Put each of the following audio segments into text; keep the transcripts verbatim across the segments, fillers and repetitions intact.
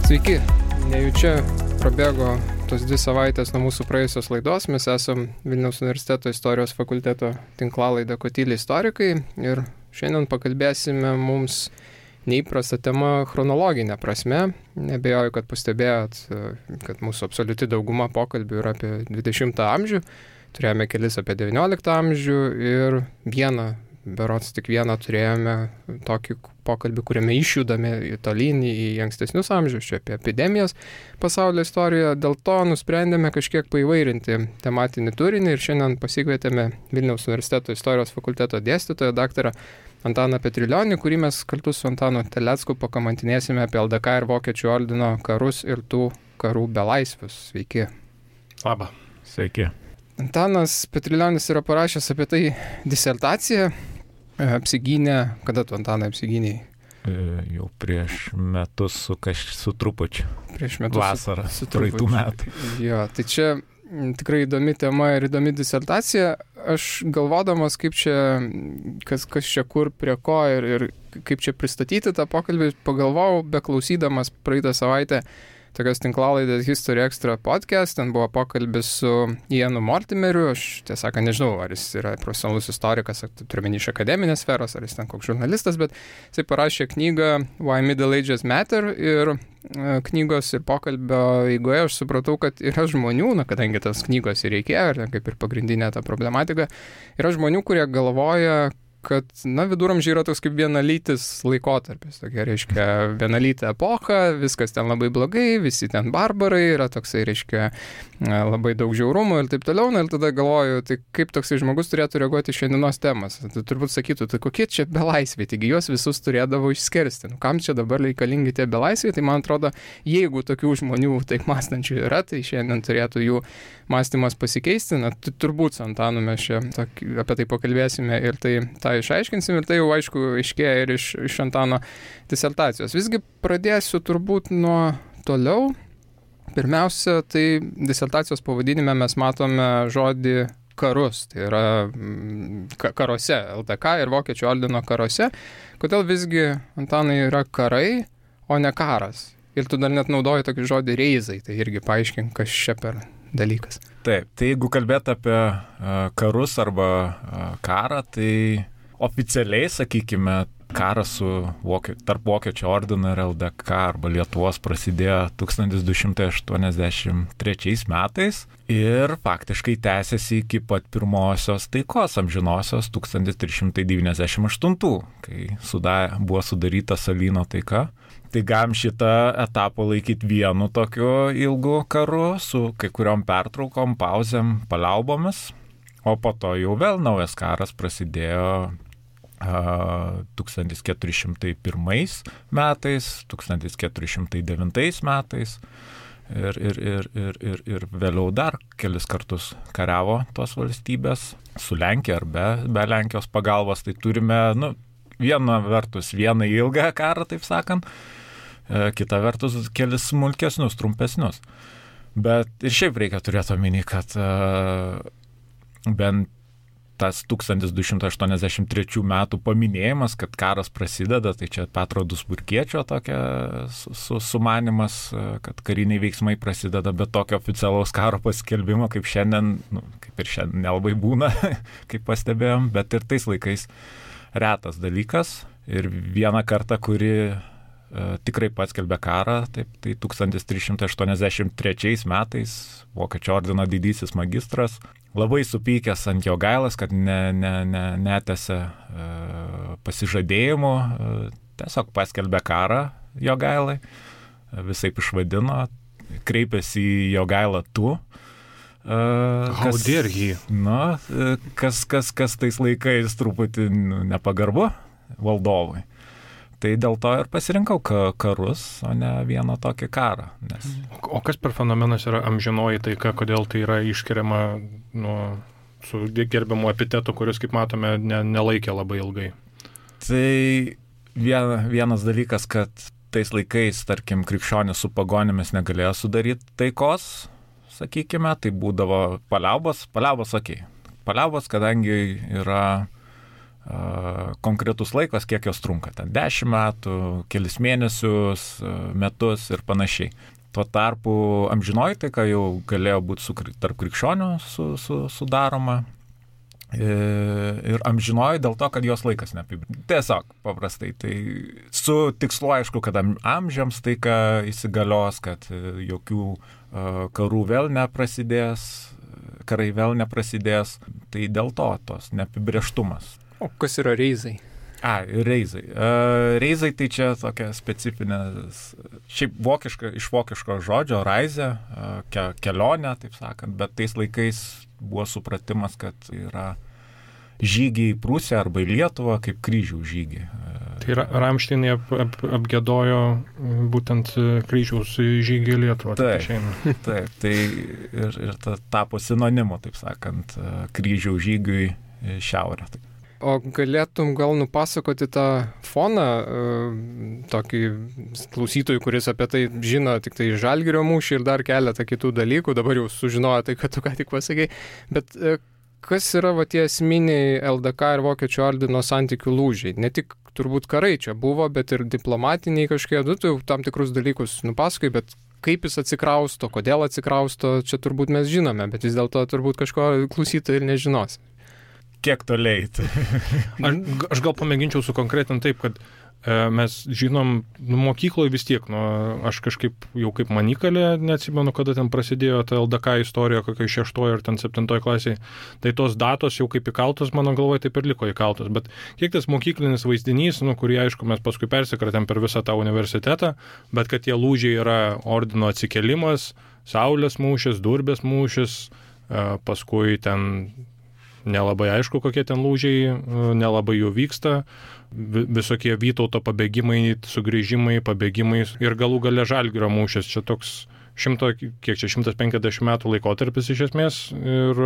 Sveiki, nejučia prabėgo tos dvi savaitės nuo mūsų praėjusios laidos. Mes esam Vilniaus universiteto istorijos fakulteto tinklalaidė Kotyliai istorikai ir šiandien pakalbėsime mums neįprastą temą chronologinę prasme. Nebejoju, kad pastebėjot, kad mūsų absoliuti dauguma pokalbių yra apie dvidešimtą amžių. Turėjome kelis apie devynioliktą amžių ir vieną, berods tik vieną turėjome tokį pokalbį, kuriame išjudame tolyn į ankstesnius amžius, čia apie epidemijas pasaulio istorijoje. Dėl to nusprendėme kažkiek paįvairinti tematinį turinį ir šiandien pasikvietėme Vilniaus universiteto istorijos fakulteto dėstytoją, daktarą Antaną Petrilionį, kurį mes kartu su Antanu Telecku pakamantinėsime apie L D K ir Vokiečių ordino karus ir tų karų belaisvius. Sveiki. Labą. Sveiki. Antanas Petrilionis yra parašęs apie tai disertaciją, apsigynė, kada tu, Antanai, apsigynėjai? E, jau prieš metus su, kaž, su trupučiu. Prieš metus. Vasarą, su, su praeitų metų. Jo, tai čia tikrai įdomi tema ir įdomi disertacija. Aš galvodamas, kaip čia, kas, kas čia kur, prie ko ir, ir kaip čia pristatyti tą pokalbį, pagalvojau, beklausydamas praeitą savaitę tokios tinklalaidės History Extra podcast, ten buvo pokalbis su Ianu Mortimeriu, aš tiesąką nežinau, ar jis yra profesionalus istorikas, ar turiuomenį iš akademinės sferos, ar jis ten koks žurnalistas, bet jisai parašė knygą Why Middle Ages Matter ir knygos ir pokalbio eigoje aš supratau, kad yra žmonių, na, kadangi tas knygos ir reikėjo, ir kaip ir pagrindinė ta problematika, yra žmonių, kurie galvoja, kad, na, viduramžiai yra toks kaip vienalytis laikotarpis, tokia, reiškia, vienalytė epocha, viskas ten labai blogai, visi ten barbarai, yra toksai, reiškia, labai daug žiaurumų ir taip toliau, na, ir tada galvoju, tai kaip toksai žmogus turėtų reaguoti šiandienos temas. Tai turbūt sakytų, tai kokie čia belaisviai, taigi juos visus turėdavo išskersti. Nu, kam čia dabar reikalingi tie belaisviai, tai man atrodo, jeigu tokių žmonių taip mąstančių yra, tai šiandien turėtų jų mąstymas pasikeisti. Na, turbūt su Antanu mes čia apie tai pakalbėsime ir tai tą išaiškinsim ir tai jau aišku aiškėja ir iš, iš Antano disertacijos. Visgi pradėsiu turbūt nuo toliau. Pirmiausia, tai disertacijos pavadinime mes matome žodį karus, tai yra karuose, L D K ir Vokiečių ordino karuose. Kodėl visgi, Antanai, yra karai, o ne karas? Ir tu dar net naudoji tokį žodį reizai, tai irgi paaiškink, kas čia per dalykas. Taip, tai jeigu kalbėt apie uh, karus arba uh, karą, tai oficialiai, sakykime, karas su vokie, tarp Vokiečių ordino ir L D K arba Lietuvos prasidėjo tūkstantis du šimtai aštuoniasdešimt trečiais metais ir faktiškai tęsiasi iki pat pirmosios taikos amžinosios tūkstantis trys šimtai devyniasdešimt aštuntų, kai suda, buvo sudaryta Salyno taika. Tai galim šitą etapą laikyti vienu tokiu ilgu karu su kai kuriom pertraukom, pauzėm, paliaubomis, o po to jau vėl naujas karas prasidėjo tūkstantis keturi šimtai pirmais metais, tūkstantis keturi šimtai devintais metais ir, ir, ir, ir, ir, ir vėliau dar kelis kartus kariavo tos valstybės su Lenkija ar be, be Lenkijos pagalbos. Tai turime, nu, viena vertus vieną ilgą karą, taip sakant, kita vertus kelis smulkesnius, trumpesnius. Bet ir šiaip reikia turėti omeny, kad uh, bent tas tūkstantis du šimtai aštuoniasdešimt trečių metų paminėjimas, kad karas prasideda, tai čia Petro Dusburkiečio tokia su, su, sumanimas, kad kariniai veiksmai prasideda, bet tokio oficialaus karo paskelbimo, kaip šiandien, nu, kaip ir šiandien nelabai būna, kaip pastebėjom, bet ir tais laikais retas dalykas. Ir vieną kartą, kuri e, tikrai paskelbė karą, taip, tai tūkstantis trys šimtai aštuoniasdešimt trečiais metais Vokiečių ordino didysis magistras labai supykęs ant Jogailos, kad ne, ne, ne, netęsė e, pasižadėjimų, e, tiesiog paskelbė karą Jogailai, e, visaip išvadino, kreipėsi į Jogailą tu. E, How kas, dare he? Nu, e, kas, kas, kas tais laikais truputį nu, nepagarbu valdovui. Tai dėl to ir pasirinkau karus, o ne vieną tokį karą. Nes... O kas per fenomenas yra amžinoji taika, kodėl tai yra išskiriama nu, su gerbiamu epitetu, kuris, kaip matome, ne, nelaikė labai ilgai? Tai vien, vienas dalykas, kad tais laikais, tarkim, krikščionis su pagonimis negalėjo sudaryti taikos, sakykime, tai būdavo paliaubos, paliaubos, okei. Okay. Paliaubos, kadangi yra konkretus laikas, kiek jos trunka, ten dešimt metų, kelis mėnesius, metus ir panašiai. Tuo tarpu amžinoji taika jau galėjo būti su, tarp krikščionių su, su, sudaroma ir amžinoji dėl to, kad jos laikas neapibrėžtas. Tiesiog paprastai. Tai su tikslu aišku, kad amžiams taika įsigalios, kad jokių karų vėl neprasidės, karai vėl neprasidės. Tai dėl to tos neapibrėžtumas. O kas yra reizai? A, reizai. Uh, reizai tai čia tokia specifinė, šiaip vokiška, iš vokiško žodžio raizė, uh, ke, kelionė, taip sakant, bet tais laikais buvo supratimas, kad yra žygiai į Prūsiją arba į Lietuvą kaip kryžių žygiai. Tai yra Ramšteinai ap, ap, apgėdojo būtent kryžiaus žygį į Lietuvą. Taip, taip, tai ir, ir ta, tapo sinonimu, taip sakant, kryžių žygiui į šiaurę. O galėtum gal nupasakoti tą foną, tokį klausytojų, kuris apie tai žino tik tai Žalgirio mūšį ir dar keletą kitų dalykų, dabar jau sužinojo tai, kad tu ką tik pasakei, bet kas yra va tie esminiai L D K ir Vokiečių ordino santykių lūžiai? Ne tik turbūt karai čia buvo, bet ir diplomatiniai kažkiek, nu, tu tam tikrus dalykus nupasakai, bet kaip jis atsikrausto, kodėl atsikrausto, čia turbūt mes žinome, bet vis dėlto turbūt kažko klausytojai ir nežinos. Kiek toliai. aš, aš gal pamėginčiau sukonkretinti taip, kad e, mes žinom, nu, mokykloje vis tiek, nu, aš kažkaip jau kaip manikalė, neatsimenu, kada ten prasidėjo ta L D K istorija, kokia šeštoje ar ten septintoje klasėje, tai tos datos jau kaip įkaltos, mano galvoje taip ir liko įkaltos, bet kiek tas mokyklinis vaizdinys, nu, kurį aišku mes paskui persikratėm per visą tą universitetą, bet kad tie lūžiai yra ordino atsikelimas, Saulės mūšis, Durbės mūšis, e, paskui ten nelabai aišku, kokie ten lūžiai, nelabai jų vyksta, visokie Vytauto pabėgimai, sugrįžimai, pabėgimai ir galų gale Žalgirio mūšis. Čia toks šimto, kiek čia, šimtas penkiasdešimt metų laikotarpis iš esmės ir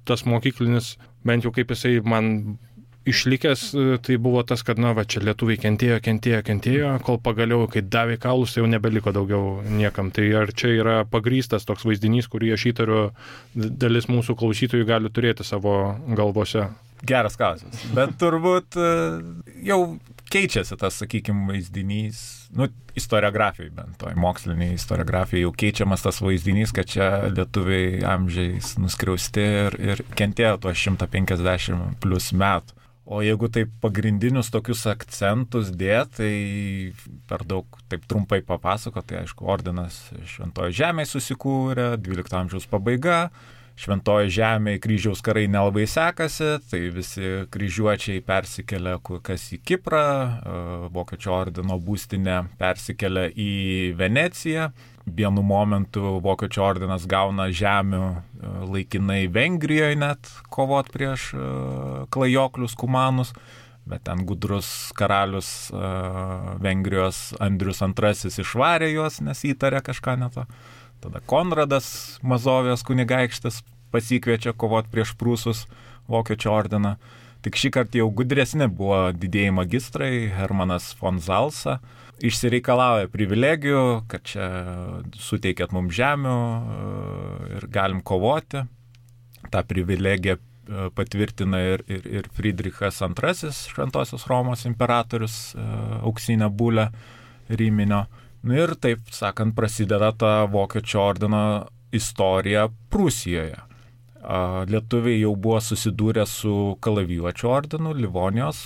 tas mokyklinis, bent jau kaip jisai man išlikęs, tai buvo tas, kad, na, va, čia lietuviai kentėjo, kentėjo, kentėjo, kol pagaliau, kai davė kaulus, tai jau nebeliko daugiau niekam. Tai ar čia yra pagrįstas toks vaizdinys, kurį aš įtariu, dalis mūsų klausytojų gali turėti savo galvose? Geras klausimas. Bet turbūt jau keičiasi tas, sakykime, vaizdinys, nu, istoriografijai bent, toj moksliniai istoriografijai jau keičiamas tas vaizdinys, kad čia lietuviai amžiais nuskriausti ir, ir kentėjo tuos šimtas penkiasdešimt plus metų. O jeigu taip pagrindinius tokius akcentus dėt, tai per daug taip trumpai papasako, tai aišku, ordinas Šventoje Žemėje susikūrė, dvylikto amžiaus pabaiga, Šventoje Žemėje kryžiaus karai nelabai sekasi, tai visi kryžiuočiai persikelia kas į Kiprą, Vokiečių ordino būstinė persikelia į Veneciją. Vienu momentu Vokiečių ordinas gauna žemių laikinai Vengrijoje net kovot prieš klajoklius kumanus, bet ten gudrus karalius Vengrijos Andrius antrasis išvarė juos, nes įtarė kažką ne to. Tada Konradas Mazovijos kunigaikštis pasikviečia kovot prieš prūsus Vokiečių ordiną. Tik šį kartą jau gudresni buvo didieji magistrai, Hermanas von Zalsa, išsireikalauja privilegijų, kad čia suteikėt mums žemių ir galim kovoti. Ta privilegija patvirtina ir, ir, ir Friedrichas antrasis, Šventosios Romos imperatorius, auksinę bulę Ryminio. Ir taip sakant, prasideda ta Vokiečių ordino istorija Prūsijoje. Lietuviai jau buvo susidūrę su Kalavijuočių ordinu Livonijos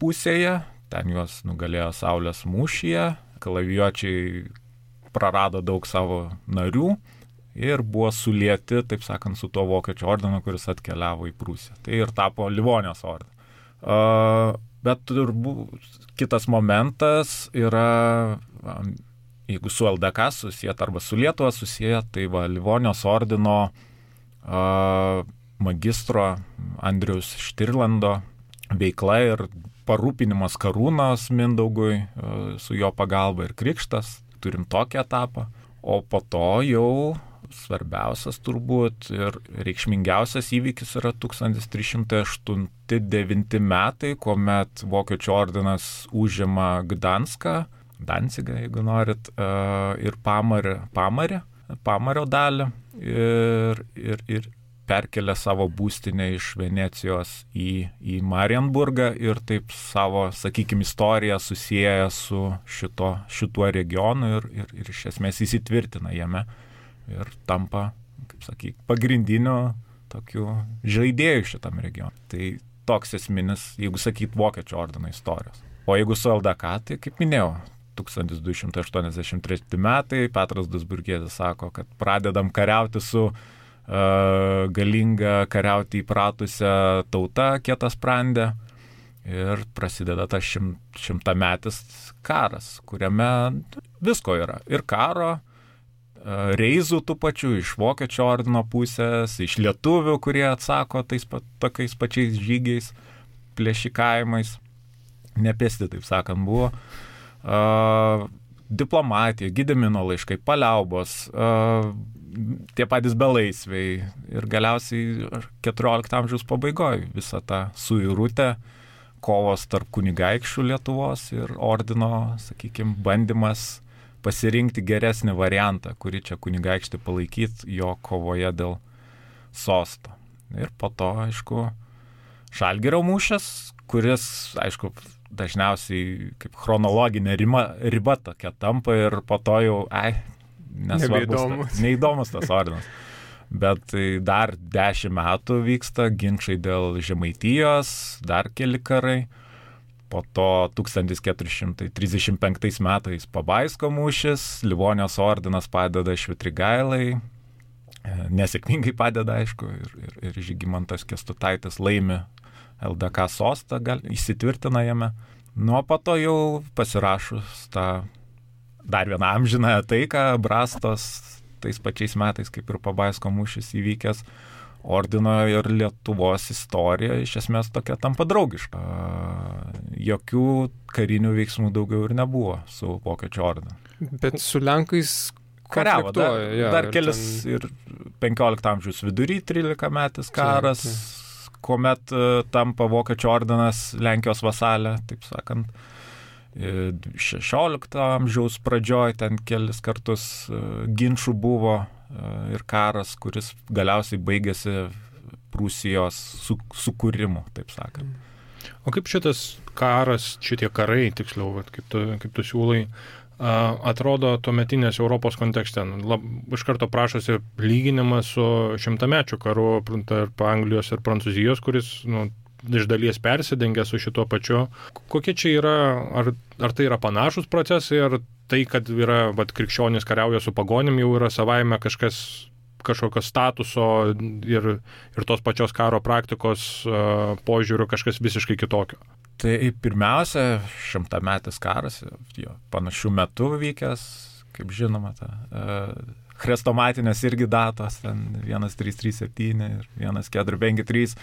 pusėje, ten juos nugalėjo Saulės mūšyje, Kalavijuočiai prarado daug savo narių ir buvo sulieti, taip sakant, su tuo Vokiečių ordinu, kuris atkeliavo į Prūsiją. Tai ir tapo Livonijos ordinu. Uh, bet turbūt kitas momentas yra, jeigu su L D K susijęt arba su Lietuva susijęt, tai va, Livonijos ordino uh, magistro Andriaus Štirlando veikla ir parūpinimas karūnos Mindaugui uh, su jo pagalba ir krikštas, turim tokį etapą, o po to jau svarbiausias turbūt ir reikšmingiausias įvykis yra tūkstantis trys šimtai aštuoni devinti metai, kuomet Vokiečių ordinas užima Gdanską, Dancigą, jeigu norit, ir Pamarį, Pamarį, Pamario dalį ir, ir, ir perkelė savo būstinę iš Venecijos į, į Marienburgą ir taip savo, sakykime, istoriją susieja su šito, šituo regionu ir, ir, ir iš esmės įsitvirtina jame ir tampa, kaip sakyk, pagrindiniu tokiu žaidėju šitam regionui. Tai toks esminis, jeigu sakyt, Vokiečių ordino istorijos. O jeigu su L D K, tai kaip minėjau, tūkstantis du šimtai aštuoniasdešimt treti metai, Petras Dusburgietis sako, kad pradedam kariauti su uh, galinga kariauti įpratusią tautą Kietasprandė ir prasideda tas šim, šimtametis karas, kuriame visko yra. Ir karo, uh, reizų tų pačių iš Vokiečių ordino pusės, iš lietuvių, kurie atsako tais pa, tokiais pačiais žygiais, plėšikavimais, nepėsti, taip sakant, buvo. Uh, diplomatija, Gedimino laiškai, paliaubos, uh, tie patys belaisviai ir galiausiai keturiolikto amžiaus pabaigoje visą tą suirutę, kovos tarp kunigaikščių Lietuvos ir ordino, sakykime, bandymas pasirinkti geresnį variantą, kurį čia kunigaikštį palaikyti jo kovoje dėl sosto. Ir po to, aišku, Žalgirio mūšis, kuris, aišku, dažniausiai kaip chronologinė riba, riba tokia tampa ir po to jau, ai, nesvarbus, neįdomus tas ordinas. Bet tai dar dešimt metų vyksta ginčai dėl Žemaitijos, dar keli karai. Po to tūkstantis keturi šimtai trisdešimt penktais metais Pabaisko mūšis, Livonijos ordinas padeda Švitrigailai, nesėkmingai padeda, aišku, ir, ir, ir Žygimantas Kęstutaitis laimi L D K sostą, gal, įsitvirtina jame. Nuo po to jau pasirašus tą dar vieną amžinąją taiką, Brastos, tais pačiais metais, kaip ir Pabaisko mūšis įvykęs, ordino ir Lietuvos istorija iš esmės tokia tampa draugiška. Jokių karinių veiksmų daugiau ir nebuvo su Vokiečių ordinu. Bet su Lenkais kariavo, dar, ja, dar kelis ten... ir penkiolikto amžiaus vidury trylikametis karas, tai, tai. Kuomet uh, tampa Vokiečių ordinas Lenkijos vasalė, taip sakant, šešiolikto amžiaus pradžioj ten kelis kartus uh, ginčų buvo uh, ir karas, kuris galiausiai baigėsi Prūsijos su, sukūrimu, taip sakant. O kaip šitas karas, šitie karai, tiksliau, kaip tu, kaip tu siūlai, atrodo tuometinės Europos kontekste? Lab, iš karto prašosi lyginimas su šimtamečių karu tarp Anglijos ir Prancūzijos, kuris nu, iš dalies persidengia su šituo pačiu. Kokie čia yra, ar, ar tai yra panašus procesai, ar tai, kad yra, vat, krikščionys kariauja su pagonim, jau yra savaime kažkas, kažkokio statuso ir, ir tos pačios karo praktikos uh, požiūrių kažkas visiškai kitokio? Tai pirmiausia, šimtametis karas, jo, panašių metų vykęs, kaip žinoma, ta, uh, chrestomatinės irgi datos, ten vienas trys trys septyni ir vienas keturi penki trys,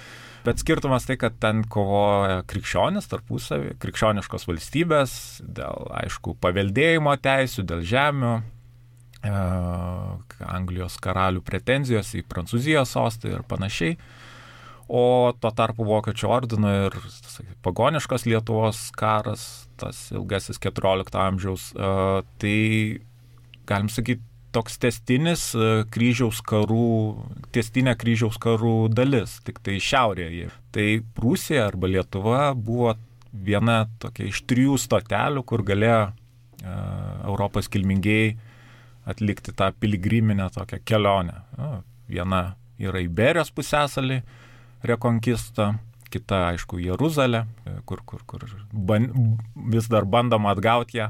bet skirtumas tai, kad ten kovoja krikščionis tarpusavį, krikščioniškos valstybės, dėl, aišku, paveldėjimo teisių, dėl žemių, uh, Anglijos karalių pretenzijos į Prancūzijos sostą ir panašiai. O tuo tarpu Vokiečių ordino ir sakai, pagoniškos Lietuvos karas, tas ilgasis keturiolikto amžiaus, uh, tai, galim sakyti, toks tęstinis uh, kryžiaus karų, tęstinė kryžiaus karų dalis, tik tai šiaurėje. Tai Prūsija arba Lietuva buvo viena tokia iš trijų stotelių, kur galėjo uh, Europos kilmingieji atlikti tą piligriminę tokią kelionę. Uh, viena yra Iberijos pusiasalį, rekonkista, kita, aišku, Jeruzalė, kur, kur, kur ban, vis dar bandoma atgauti ją.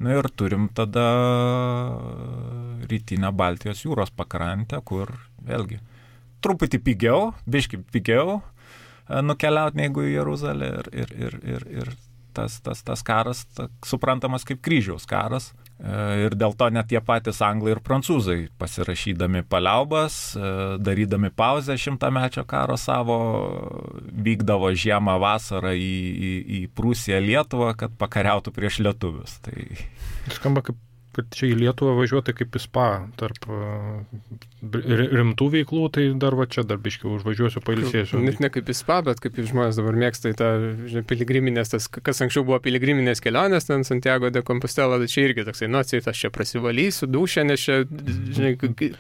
Na ir turim tada rytinę Baltijos jūros pakrantę, kur vėlgi truputį pigiau, biški pigiau nukeliauti negu į Jeruzalę ir, ir, ir, ir, ir tas, tas, tas karas ta, suprantamas kaip kryžiaus karas. Ir dėl to net tie patys anglai ir prancūzai pasirašydami paliaubas, darydami pauzę šimtamečio karo savo, vykdavo žiemą vasarą į, į, į Prūsiją, Lietuvą, kad pakariautų prieš lietuvius. Tai... Skamba kaip, kad čia į Lietuvą važiuoti kaip į spa tarp rimtų veiklų, tai dar va čia dar biškiau užvažiuosiu, pailsėsiu. Net ne kaip į spa, bet kaip žmonės dabar mėgsta į tą, žinai, piligriminės, tas, kas anksčiau buvo piligriminės kelionės, ten Santiago de Compostela, tai čia irgi toksai, nu, atseit, aš čia prasivalysiu, dušę, nes čia, žinai,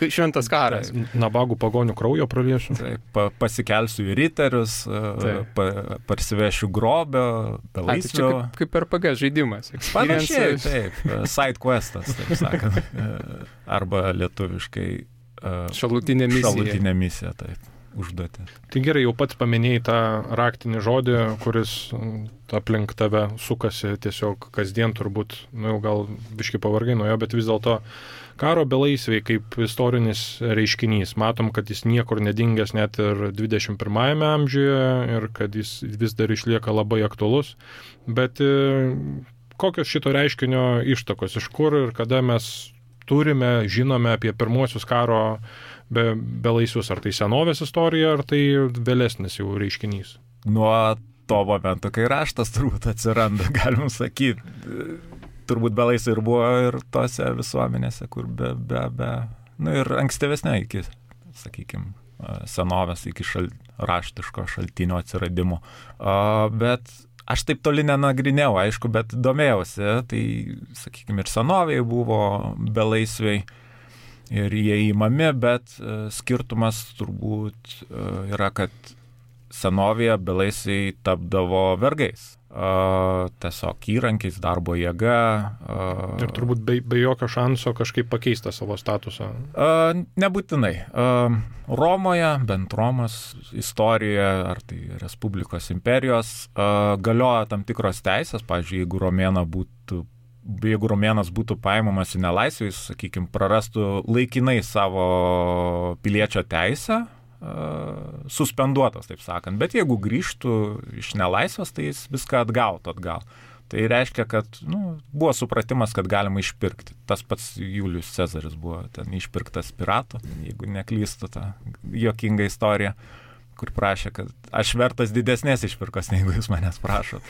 šventas karas. Nabagų pagonių kraujo praliesiu. Taip, pa, pasikelsiu į riterius, pa, parsivešiu grobio, belaisvio. Tai kaip, kaip R P G žaidimas. Panašiai, taip, side questas, taip sakant. Arba lietuviškai šalutinė misija. Šalutinė misija, taip, užduoti. Tai gerai, jau pats paminėjai tą raktinį žodį, kuris aplink tave sukasi tiesiog kasdien turbūt, nu jau gal biškai pavargai nuo jo, bet vis dėlto karo belaisviai kaip istorinis reiškinys. Matom, kad jis niekur nedingęs net ir dvidešimt pirmajame amžiuje ir kad jis vis dar išlieka labai aktualus. Bet kokios šito reiškinio ištakos, iš kur ir kada mes turime, žinome apie pirmuosius karo be, belaisvius, ar tai senovės istorija, ar tai vėlesnis jau reiškinys? Nuo to momento, kai raštas turbūt atsiranda, galim sakyti. Turbūt belaisviai ir buvo ir tose visuomenėse, kur be, be, be, nu ir ankstyvesnė iki, sakykime, senovės, iki šal, raštiško šaltinio atsiradimo. Uh, bet aš taip toli nenagrinėjau, aišku, bet domėjausi, tai, sakykime, ir senovėje buvo belaisviai ir jie įmami, bet uh, skirtumas turbūt uh, yra, kad senovėje belaisviai tapdavo vergais. Uh, tiesiog įrankiais, darbo jėga. Uh, ir turbūt be, be jokio šanso kažkaip pakeisti savo statusą. Uh, nebūtinai. Uh, Romoje, bent Romos istorijoje, ar tai Respublikos imperijos, uh, galioja tam tikros teisės. Pavyzdžiui, jeigu romėna būtų, jeigu romėnas būtų paimamas į nelaisvę, jis, sakykime, prarastų laikinai savo piliečio teisę, suspenduotas, taip sakant. Bet jeigu grįžtų iš nelaisvės, tai jis viską atgautų atgal. Tai reiškia, kad nu, buvo supratimas, kad galima išpirkti. Tas pats Julius Cezaris buvo ten išpirktas piratų, jeigu neklystu, tą juokingą istoriją, kur prašė, kad aš vertas didesnės išpirkos, negu jūs manęs prašot.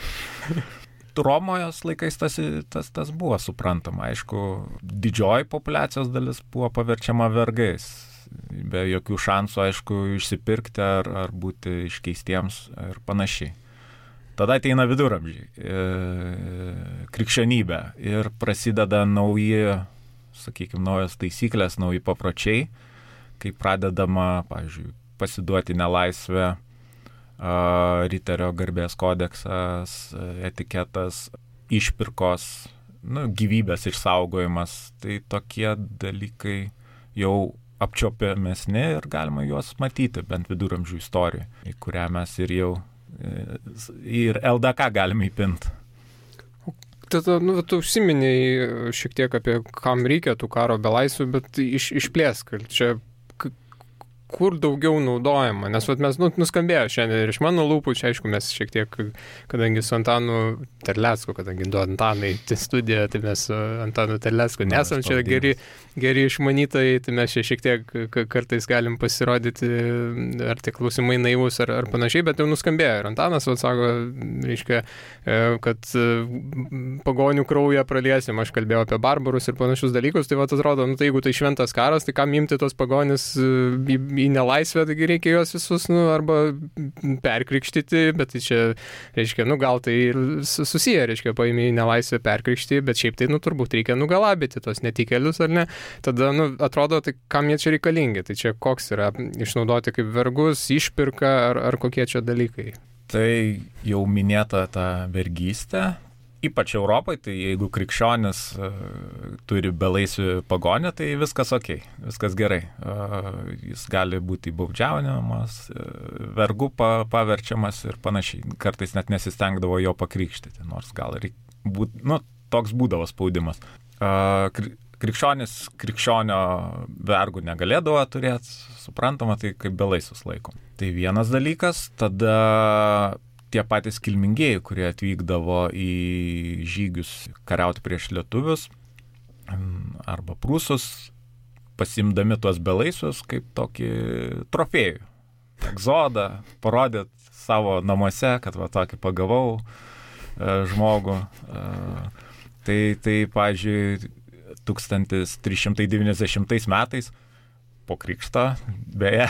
Romojos laikais tas, tas, tas buvo suprantama. Aišku, didžioji populiacijos dalis buvo paverčiama vergais. Be jokių šansų, aišku, išsipirkti ar, ar būti iškeistiems ir panašiai. Tada ateina viduramžiai, e, krikščionybė ir prasideda nauji, sakykime, naujos taisyklės, nauji papročiai, kai pradedama, pavyzdžiui, pasiduoti nelaisvę, a, riterio garbės kodeksas, etiketas, išpirkos, nu, gyvybės išsaugojimas. Tai tokie dalykai jau apčiopiamesni ir galima juos matyti, bent viduramžių istorijoje, į kurią mes ir jau ir L D K galime įpinti. Tada, nu, tu užsiminėjai šiek tiek apie kam reikia tų karo belaisvių, bet iš, išplėsk, čia kur daugiau naudojama, nes vat, mes nu, nuskambėjo šiandien ir iš mano lūpų, čia aišku mes šiek tiek, kadangi su Antanu Terlecku, kadangi du Antanai studiją, tai mes su Antanu Terlecku nesam čia geri, geri išmanytojai, tai mes čia šiek tiek kartais galim pasirodyti, ar tik klausimai naivus ar, ar panašiai, bet jau nuskambėjo ir Antanas, vat, sako, reiškia, kad pagonių kraują praliesim, aš kalbėjau apie barbarus ir panašius dalykus, tai vat atrodo, nu, tai jeigu tai šventas karas, tai kam imti tos pagonis į į nelaisvę, taigi reikia juos visus, nu, arba perkrikštyti, bet tai čia, reiškia, nu, gal tai ir susiję, reiškia, paimi į nelaisvę perkrikštyti, bet šiaip tai, nu, turbūt reikia nugalabyti tos netikėlius, ar ne? Tada, nu, atrodo, tai kam jie čia reikalingi? Tai čia koks yra išnaudoti kaip vergus, išpirka, ar, ar kokie čia dalykai? Tai jau minėta ta vergystė. Ypač Europai, tai jeigu krikščionis uh, turi belaisvių pagonę, tai viskas ok, viskas gerai. Uh, jis gali būti baudžiaunamas, uh, vergu pa, paverčiamas ir panašiai. Kartais net nesistengdavo jo pakrikštyti, nors gal ir būt, nu, toks būdavo spaudimas. Uh, krikščionis krikščionio vergų negalėdavo turėti, suprantama, tai kaip belaisvius laikom. Tai vienas dalykas, tada tie patys kilmingieji, kurie atvykdavo į žygius kariauti prieš lietuvius arba prūsus, pasimdami tuos belaisvius kaip tokį trofėjų. Egzodą, parodėt savo namuose, kad va tokį pagavau e, žmogų. E, tai, tai, pavyzdžiui, tūkstantis trys šimtai devyniasdešimtais metais po krikšto, beje,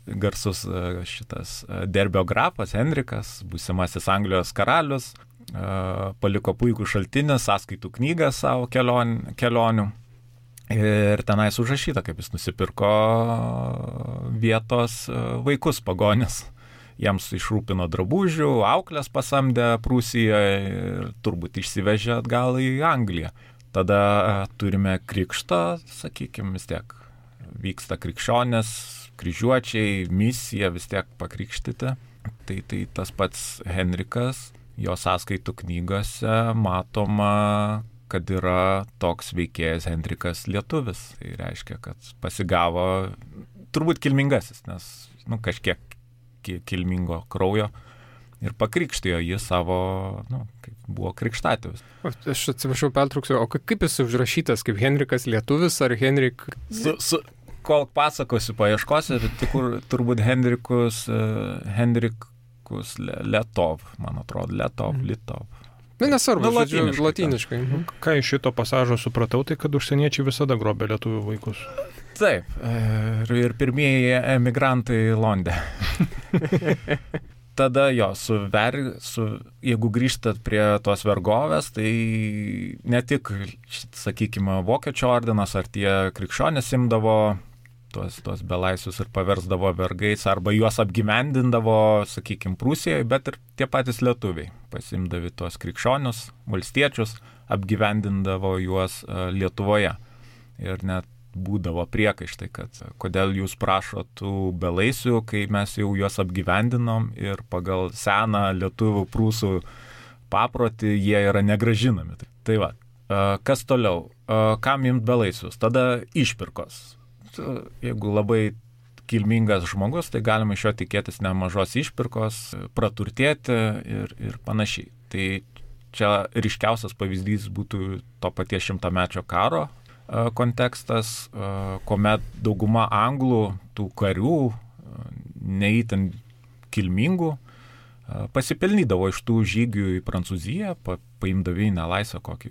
garsus šitas Derbio grafas Henrikas, būsimasis Anglijos karalius, paliko puikų šaltinį, sąskaitų knygą savo kelion, kelionių. Ir tenais užrašyta, kaip jis nusipirko vietos vaikus pagonis. Jiems išrūpino drabužių, auklės pasamdė Prūsijoje ir turbūt išsivežė atgal į Angliją. Tada turime krikštą, sakykime, vis tiek vyksta krikščionės, kryžiuočiai, misija vis tiek pakrikštyti. Tai, tai tas pats Henrikas, jo sąskaitų knygose matoma, kad yra toks veikėjas Henrikas lietuvis. Tai reiškia, kad pasigavo turbūt kilmingasis, nes nu, kažkiek kilmingo kraujo ir pakrikštijo jį savo, nu, kaip buvo krikštatėvis. Aš atsiprašau, pertrauksiu, o kaip jis užrašytas, kaip Henrikas lietuvis ar Henrik? Su, su, kol pasakosiu, paieškosiu, tikur, turbūt Henrikus, uh, Henrikus Letov, man atrodo, Letov, mm. Litov. Na, nesvarbu, nu, žodžiu, latiniškai. Mhm. Ką iš šito pasažo supratau, tai kad užsieniečiai visada grobė lietuvių vaikus. Taip, ir, ir pirmieji emigrantai Londė. Tada jo, su ver, su, jeigu grįžtat prie tos vergovės, tai ne tik, sakykime, Vokiečių ordinas ar tie krikščionys imdavo tuos, tuos belaisvius ir paversdavo vergais, arba juos apgyvendindavo, sakykime, Prūsijoje, bet ir tie patys lietuviai pasimdavi tuos krikščionius, valstiečius, apgyvendindavo juos Lietuvoje. Ir net būdavo priekaištai, kad kodėl jūs prašot tų belaisvių, kai mes jau juos apgyvendinom ir pagal seną lietuvių prūsų paprotį jie yra negražinami. Tai va, kas toliau? Kam imt belaisvius? Tada išpirkos. Jeigu labai kilmingas žmogus, tai galima iš jo tikėtis nemažos išpirkos, praturtėti ir, ir panašiai. Tai čia ryškiausias pavyzdys būtų to paties šimtamečio karo kontekstas, kuomet dauguma anglų, tų karių, neįtin kilmingų, pasipelnydavo iš tų žygių į Prancūziją, pa, paimdavo į nelaisvę kokį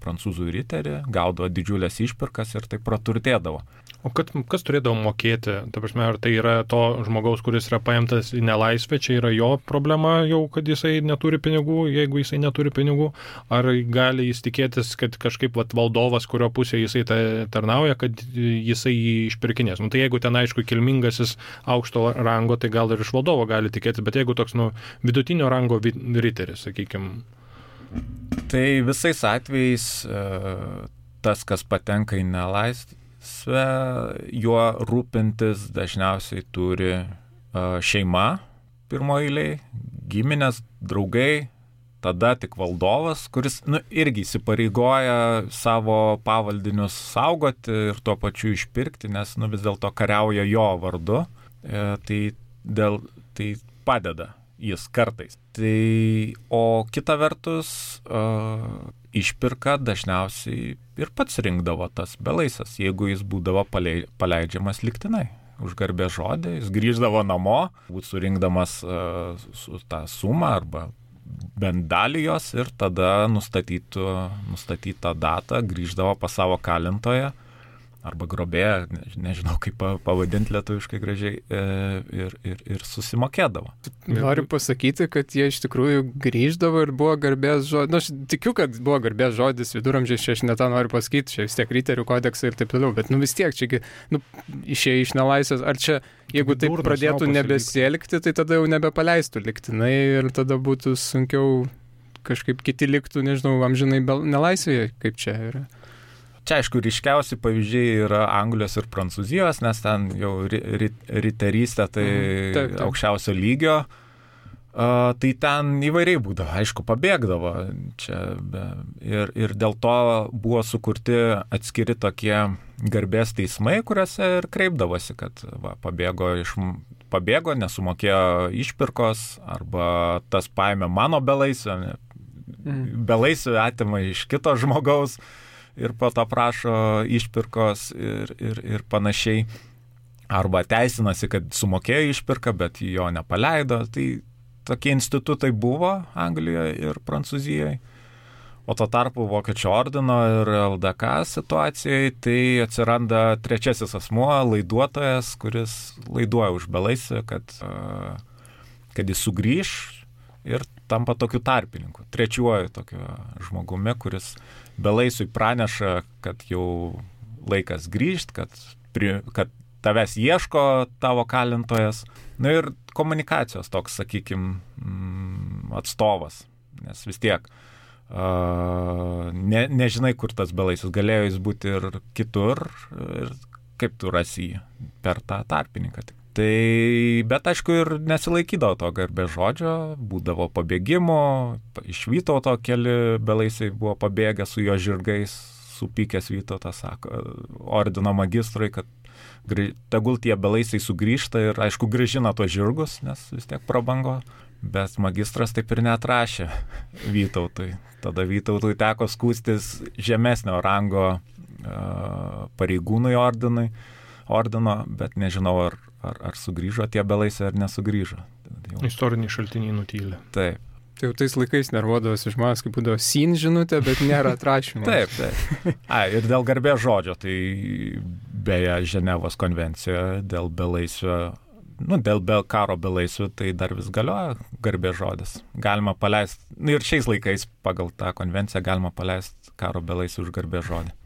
prancūzų riterį, gaudavo didžiulės išpirkas ir tai praturtėdavo. O kad, kas turėdavo mokėti? Ta prasme, ar tai yra to žmogaus, kuris yra paimtas į nelaisvę, čia yra jo problema jau, kad jisai neturi pinigų, jeigu jisai neturi pinigų, ar gali jis tikėtis, kad kažkaip vat, valdovas, kurio pusėje jisai ta, tarnauja, kad jisai jį išpirkinės. Nu, tai jeigu ten aišku kilmingasis aukšto rango, tai gal ir iš valdovo gali tikėtis, bet jeigu toks nu, vidutinio rango riteris, sakykime. Tai visais atvejais tas, kas patenka į nelaisvę, juo rūpintis dažniausiai turi šeima pirmo eiliai, giminės, draugai, tada tik valdovas, kuris nu, irgi įsipareigoja savo pavaldinius saugoti ir tuo pačiu išpirkti, nes nu, vis dėlto kariauja jo vardu, e, tai, dėl, tai padeda jis kartais. Tai, o kita vertus, uh, išpirka dažniausiai ir pats rinkdavo tas belaisas, jeigu jis būdavo paleidžiamas lygtinai. Už garbės žodį, jis grįždavo namo, būt surinkdamas uh, su tą sumą arba bent dalį jos ir tada nustatytų, nustatytą datą grįždavo pas savo kalintoją arba grobėją, ne, nežinau kaip pavadinti lietuviškai gražiai, ir, ir, ir susimokėdavo. Noriu pasakyti, kad jie iš tikrųjų grįždavo ir buvo garbės žodis. Na, aš tikiu, kad buvo garbės žodis viduramžiais, čia aš ne tą noriu pasakyti, čia vis tiek riterių kodeksai ir taip toliau, bet nu vis tiek, čia nu, išėjai iš nelaisvės, ar čia, jeigu taip Durnas pradėtų nebesielgti, tai tada jau nebepaleistų lygtinai ir tada būtų sunkiau kažkaip kiti liktų, nežinau, amžinai nelaisvėje, kaip čia yra. Čia, aišku, ryškiausi pavyzdžiai yra Anglijos ir Prancūzijos, nes ten jau ri, ri, riterystė tai mm, taip, taip. aukščiausio lygio. Uh, tai ten įvairiai būdavo, aišku, pabėgdavo. Čia be, ir, ir dėl to buvo sukurti atskiri tokie garbės teismai, kuriuose ir kreipdavosi, kad va, pabėgo, iš, pabėgo, nesumokėjo išpirkos, arba tas paėmė mano belaisvę, mm. belaisvę atima iš kito žmogaus. Ir po to prašo išpirkos ir, ir, ir panašiai. Arba teisinasi, kad sumokėjo išpirką, bet jo nepaleido. Tai tokie institutai buvo Anglijoje ir Prancūzijoje. O tuo tarpu Vokiečių ordino ir L D K situacijai tai atsiranda trečiasis asmuo, laiduotojas, kuris laiduoja už belaisvį, kad, kad jis sugrįž ir tampa tokiu tarpininku, trečiuoju tokiu žmogumi, kuris belaisviui praneša, kad jau laikas grįžt, kad, pri, kad tavęs ieško tavo kalintojas. Na ir komunikacijos toks, sakykime, atstovas, nes vis tiek Uh, ne, nežinai, kur tas belaisvis, galėjo jis būti ir kitur, ir kaip tu rasi jį per tą tarpininką. Tai, bet aišku, ir nesilaikydavo to garbės žodžio, būdavo pabėgimo, iš Vytauto keli belaisviai buvo pabėgę su jo žirgais, supykęs Vytautas sako ordino magistrui, kad tegul tie belaisviai sugrįžta ir aišku grįžina tuos žirgus, nes vis tiek prabango. Bet magistras taip ir neatrašė Vytautui. Tada Vytautui teko skųstis žemesnio rango uh, pareigūnui ordinui, ordino, bet nežinau, ar, ar, ar sugrįžo tie belaisviai ar nesugrįžo. Jau... Istoriniai šaltiniai nutylė. Taip. Tai jau tais laikais nervuodavosi žmonės, kaip būdavo sin žinutė, bet nėra atrašymo. Taip, taip. A, ir dėl garbės žodžio, tai beje Ženevos konvencijoje dėl belaisvio, nu, dėl be, karo belaisvių, tai dar vis galioja garbės žodis. Galima paleisti, nu, ir šiais laikais pagal tą konvenciją galima paleisti karo belaisvių už garbės žodį.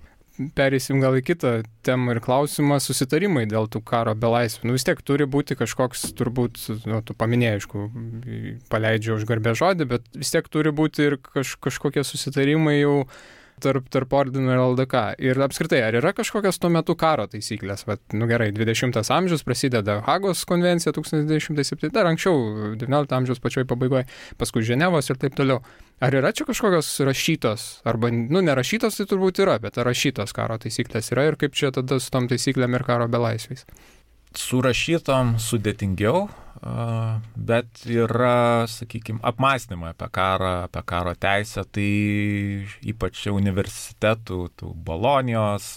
Pereisim gal į kitą temą ir klausimą, susitarimai dėl tų karo belaisvių. Nu, vis tiek turi būti kažkoks, turbūt, nu, tu paminėjai, aišku, paleidžia už garbės žodį, bet vis tiek turi būti ir kaž, kažkokie susitarimai jau tarp, tarp ordino ir L D K. Ir apskritai, ar yra kažkokios tuo metu karo taisyklės? Vat, nu gerai, dvidešimtas amžius prasideda Hagos konvencija tūkstantis devyni šimtai septyni, dar anksčiau, devyniolikto amžiaus pačioj pabaigoje, paskui Ženevos ir taip toliau. Ar yra čia kažkokios rašytos, arba, nu, nerašytos tai turbūt yra, bet rašytos karo taisyklės yra ir kaip čia tada su tom taisyklėm ir karo belaisviais? Surašytom sudėtingiau, bet yra, sakykime, apmąstymai apie karą, apie karo teisę, tai ypač universitetų, tų Bolonijos,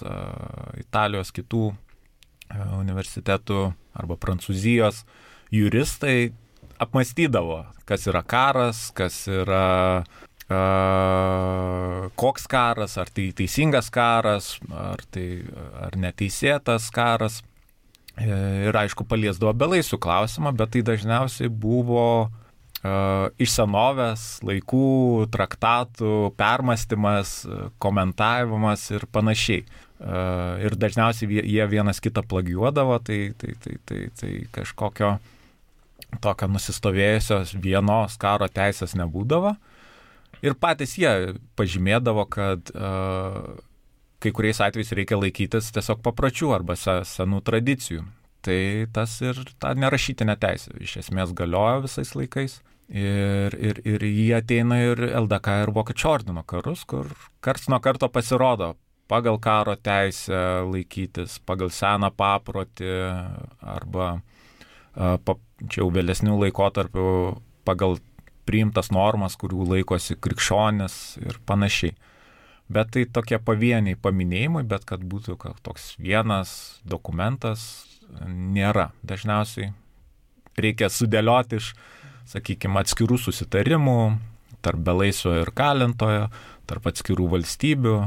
Italijos, kitų universitetų arba Prancūzijos juristai apmąstydavo, kas yra karas, kas yra, uh, koks karas, ar tai teisingas karas, ar tai ar neteisėtas karas. Ir aišku, paliesdavo belaisvių klausimą, bet tai dažniausiai buvo uh, iš senovės laikų traktatų permąstymas, komentavimas ir panašiai. Uh, ir dažniausiai jie vienas kitą plagiuodavo, tai, tai, tai, tai, tai kažkokio tokio nusistovėjusios vienos karo teisės nebūdavo. Ir patys jie pažymėdavo, kad uh, kai kuriais atvejais reikia laikytis tiesiog papročių arba senų tradicijų. Tai tas ir ta nerašytinė teisė iš esmės galioja visais laikais. Ir, ir, ir jie ateina ir L D K ir Vokiečių ordino karus, kur karts nuo karto pasirodo pagal karo teisę laikytis, pagal seną paprotį arba pa, čia jau vėlesnių laikotarpių pagal priimtas normas, kurių laikosi krikščionis ir panašiai. Bet tai tokie pavieniai paminėjimai, bet kad būtų toks vienas dokumentas, nėra. Dažniausiai reikia sudėlioti iš, sakykime, atskirų susitarimų tarp belaisvio ir kalintojo, tarp atskirų valstybių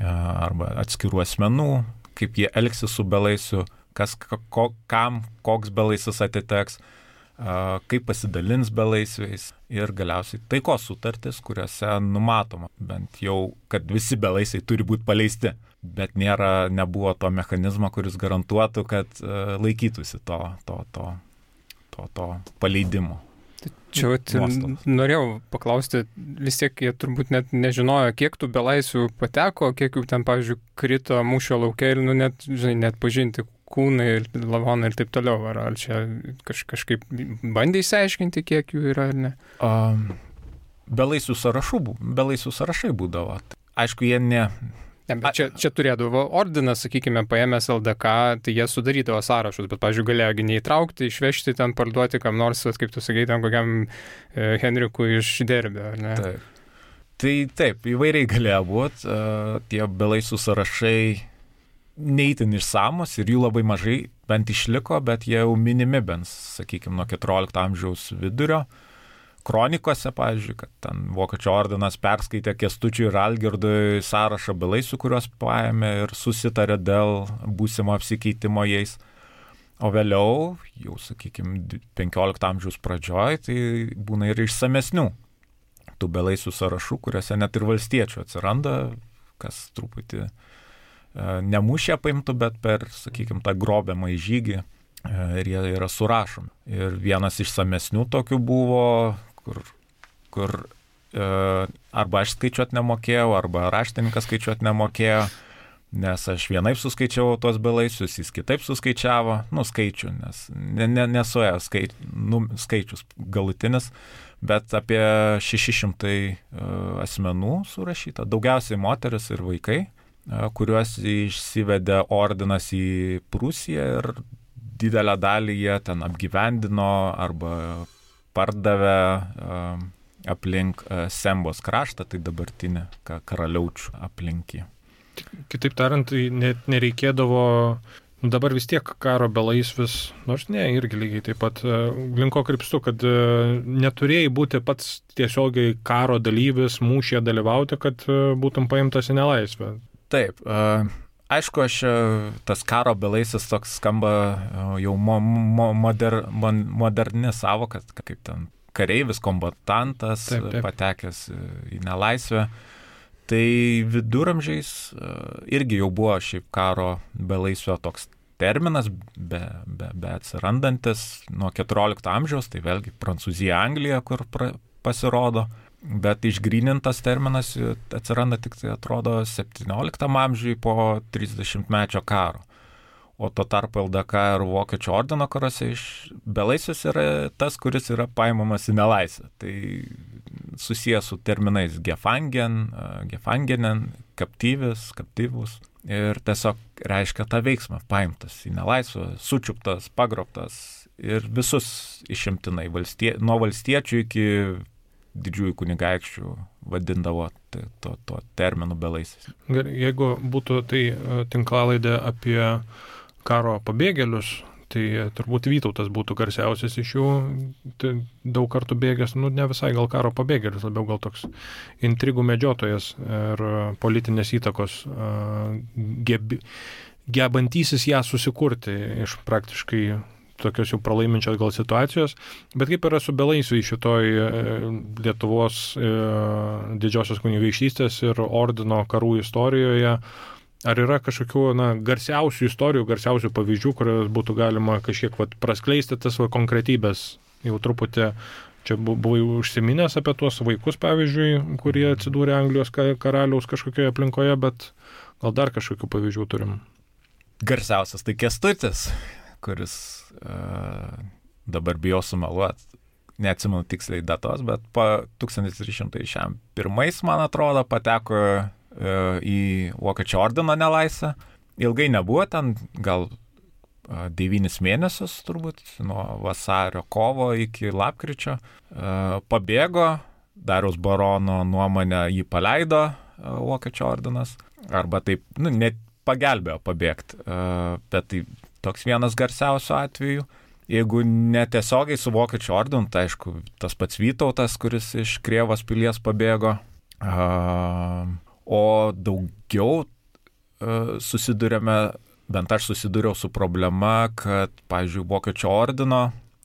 arba atskirų asmenų, kaip jie elgsis su belaisviu, kas, ko, kam, koks belaisvis atiteks, kaip pasidalins belaisviais ir galiausiai taikos sutartis, kuriuose numatoma bent jau, kad visi belaisviai turi būti paleisti, bet nėra, nebuvo to mechanizmo, kuris garantuotų, kad laikytųsi to, to, to, to, to paleidimo. Čia vat, norėjau paklausti, vis tiek jie turbūt net nežinojo, kiek tų belaisvių pateko, kiek jų ten, pavyzdžiui, krito mūšio lauke ir nu, net, žinai, net pažinti kūnai ir lavonai ir taip toliau. Ar, ar čia kaž, kažkaip bandė įsiaiškinti, kiek jų yra ar ne? Um, belaisvių sąrašų, belaisvių sąrašai būdavo. Aišku, jie ne... ne bet čia, čia turėdavo ordinas, sakykime, paėmęs L D K, tai jie sudarydavo sąrašus, bet, pavyzdžiui, galėjo neįtraukti, išvežti ten, parduoti kam nors, kaip tu sakai, tam kokiam e, Henrikui iš Derbio, ar ne? Taip. Tai taip, įvairiai galėjo būti. Uh, tie belaisvių sąrašai neįtin išsamus ir jų labai mažai bent išliko, bet jie jau minimi bent, sakykime, nuo keturiolikto amžiaus vidurio, kronikose, pavyzdžiui, kad ten Vokiečių ordinas perskaitė Kęstučiui ir Algirdui sąrašą belaisvių, kuriuos paėmė ir susitarė dėl būsimo apsikeitimo jais. O vėliau, jau, sakykime, penkiolikto amžiaus pradžioj, tai būna ir išsamesnių tų belaisvių sąrašų, kuriuose net ir valstiečių atsiranda, kas truputį e, ne mūšė paimtų, bet per, sakykime, tą grobiamą į žygį e, ir jie yra surašomi. Ir vienas išsamesnių tokių buvo, kur, kur e, arba aš skaičiuot nemokėjau, arba raštininkas skaičiuot nemokėjo, nes aš vienaip suskaičiavau tuos belaisvius, jis kitaip suskaičiavo, nu, skaičių, nes ne, ne, nesuėjo skaič, nu, skaičius galutinis, bet apie šeši šimtai uh, asmenų surašyta, daugiausiai moteris ir vaikai, uh, kuriuos išsivedė ordinas į Prūsiją ir didelę dalį jie ten apgyvendino arba pardavė uh, aplink uh, Sembos kraštą, tai dabartinė Karaliaučių aplinkį. Kitaip tariant, net nereikėdavo, nu dabar vis tiek karo belaisvis, nors ne, irgi lygiai taip pat, linko krypstu, kad neturėjai būti pats tiesiogiai karo dalyvis, mūšyje dalyvauti, kad būtum paimtas į nelaisvę. Taip, aišku, aš tas karo belaisis toks skamba jau mo, mo, moder, moderni savoka, kaip ten kareivis, kombatantas, taip, taip. Patekęs į nelaisvę. Tai viduramžiais irgi jau buvo šiaip karo belaisvio toks terminas, be, be, be atsirandantis nuo keturiolikto amžiaus, tai vėlgi Prancūzija, Anglija, kur pra, pasirodo, bet išgrynintas terminas atsiranda tik tai atrodo septynioliktam amžiui po trisdešimtmečio karo. O tuo tarpu L D K ir Vokiečių ordino karuose iš belaisvis yra tas, kuris yra paimamas į nelaisvę. Tai susijęs su terminais gefangen, gefangenen, kaptyvis, kaptyvus. Ir tiesiog reiškia tą veiksmą, paimtas į nelaisvę, sučiuptas, pagrobtas ir visus išimtinai, valstie, nuo valstiečių iki didžiųjų kunigaikščių vadindavo tai, to, to terminų belaisvis. Jeigu būtų tai tinklalaidė apie karo pabėgėlius, tai turbūt Vytautas būtų garsiausias iš jų, tai daug kartų bėgęs, nu ne visai gal karo pabėgėlis, labiau gal toks intrigų medžiotojas ir politinės įtakos gebi, gebantysis ją susikurti iš praktiškai tokios jau pralaiminčios gal situacijos, bet kaip yra su belaisviais šitoj Lietuvos didžiosios kunigaikštystės ir ordino karų istorijoje. Ar yra kažkokių na, garsiausių istorijų, garsiausių pavyzdžių, kurios būtų galima kažkiek vat, praskleisti tas va, konkretybės? Jau truputį čia buvai užsiminęs apie tuos vaikus, pavyzdžiui, kurie atsidūrė Anglijos karaliaus kažkokioje aplinkoje, bet gal dar kažkokių pavyzdžių turim? Garsiausias tai Kęstutis, kuris uh, dabar bijau sumeluoti, neatsimenu tiksliai datos, bet po tūkstantis trys šimtai pirmais, man atrodo, pateko į Vokiečių ordino nelaisvę. Ilgai nebuvo ten, gal devynis mėnesius turbūt, nuo vasario kovo iki lapkričio. Pabėgo, Dariaus barono nuomonę jį paleido Vokiečių ordinas, arba taip, nu, net pagelbėjo pabėgti. Bet tai toks vienas garsiausių atvejų. Jeigu netiesiogiai su Vokiečių ordinu, tai aišku, tas pats Vytautas, kuris iš Krėvos pilies pabėgo. O daugiau uh, susidurėme, bent aš susidūriau su problema, kad, pavyzdžiui, Vokiečių ordino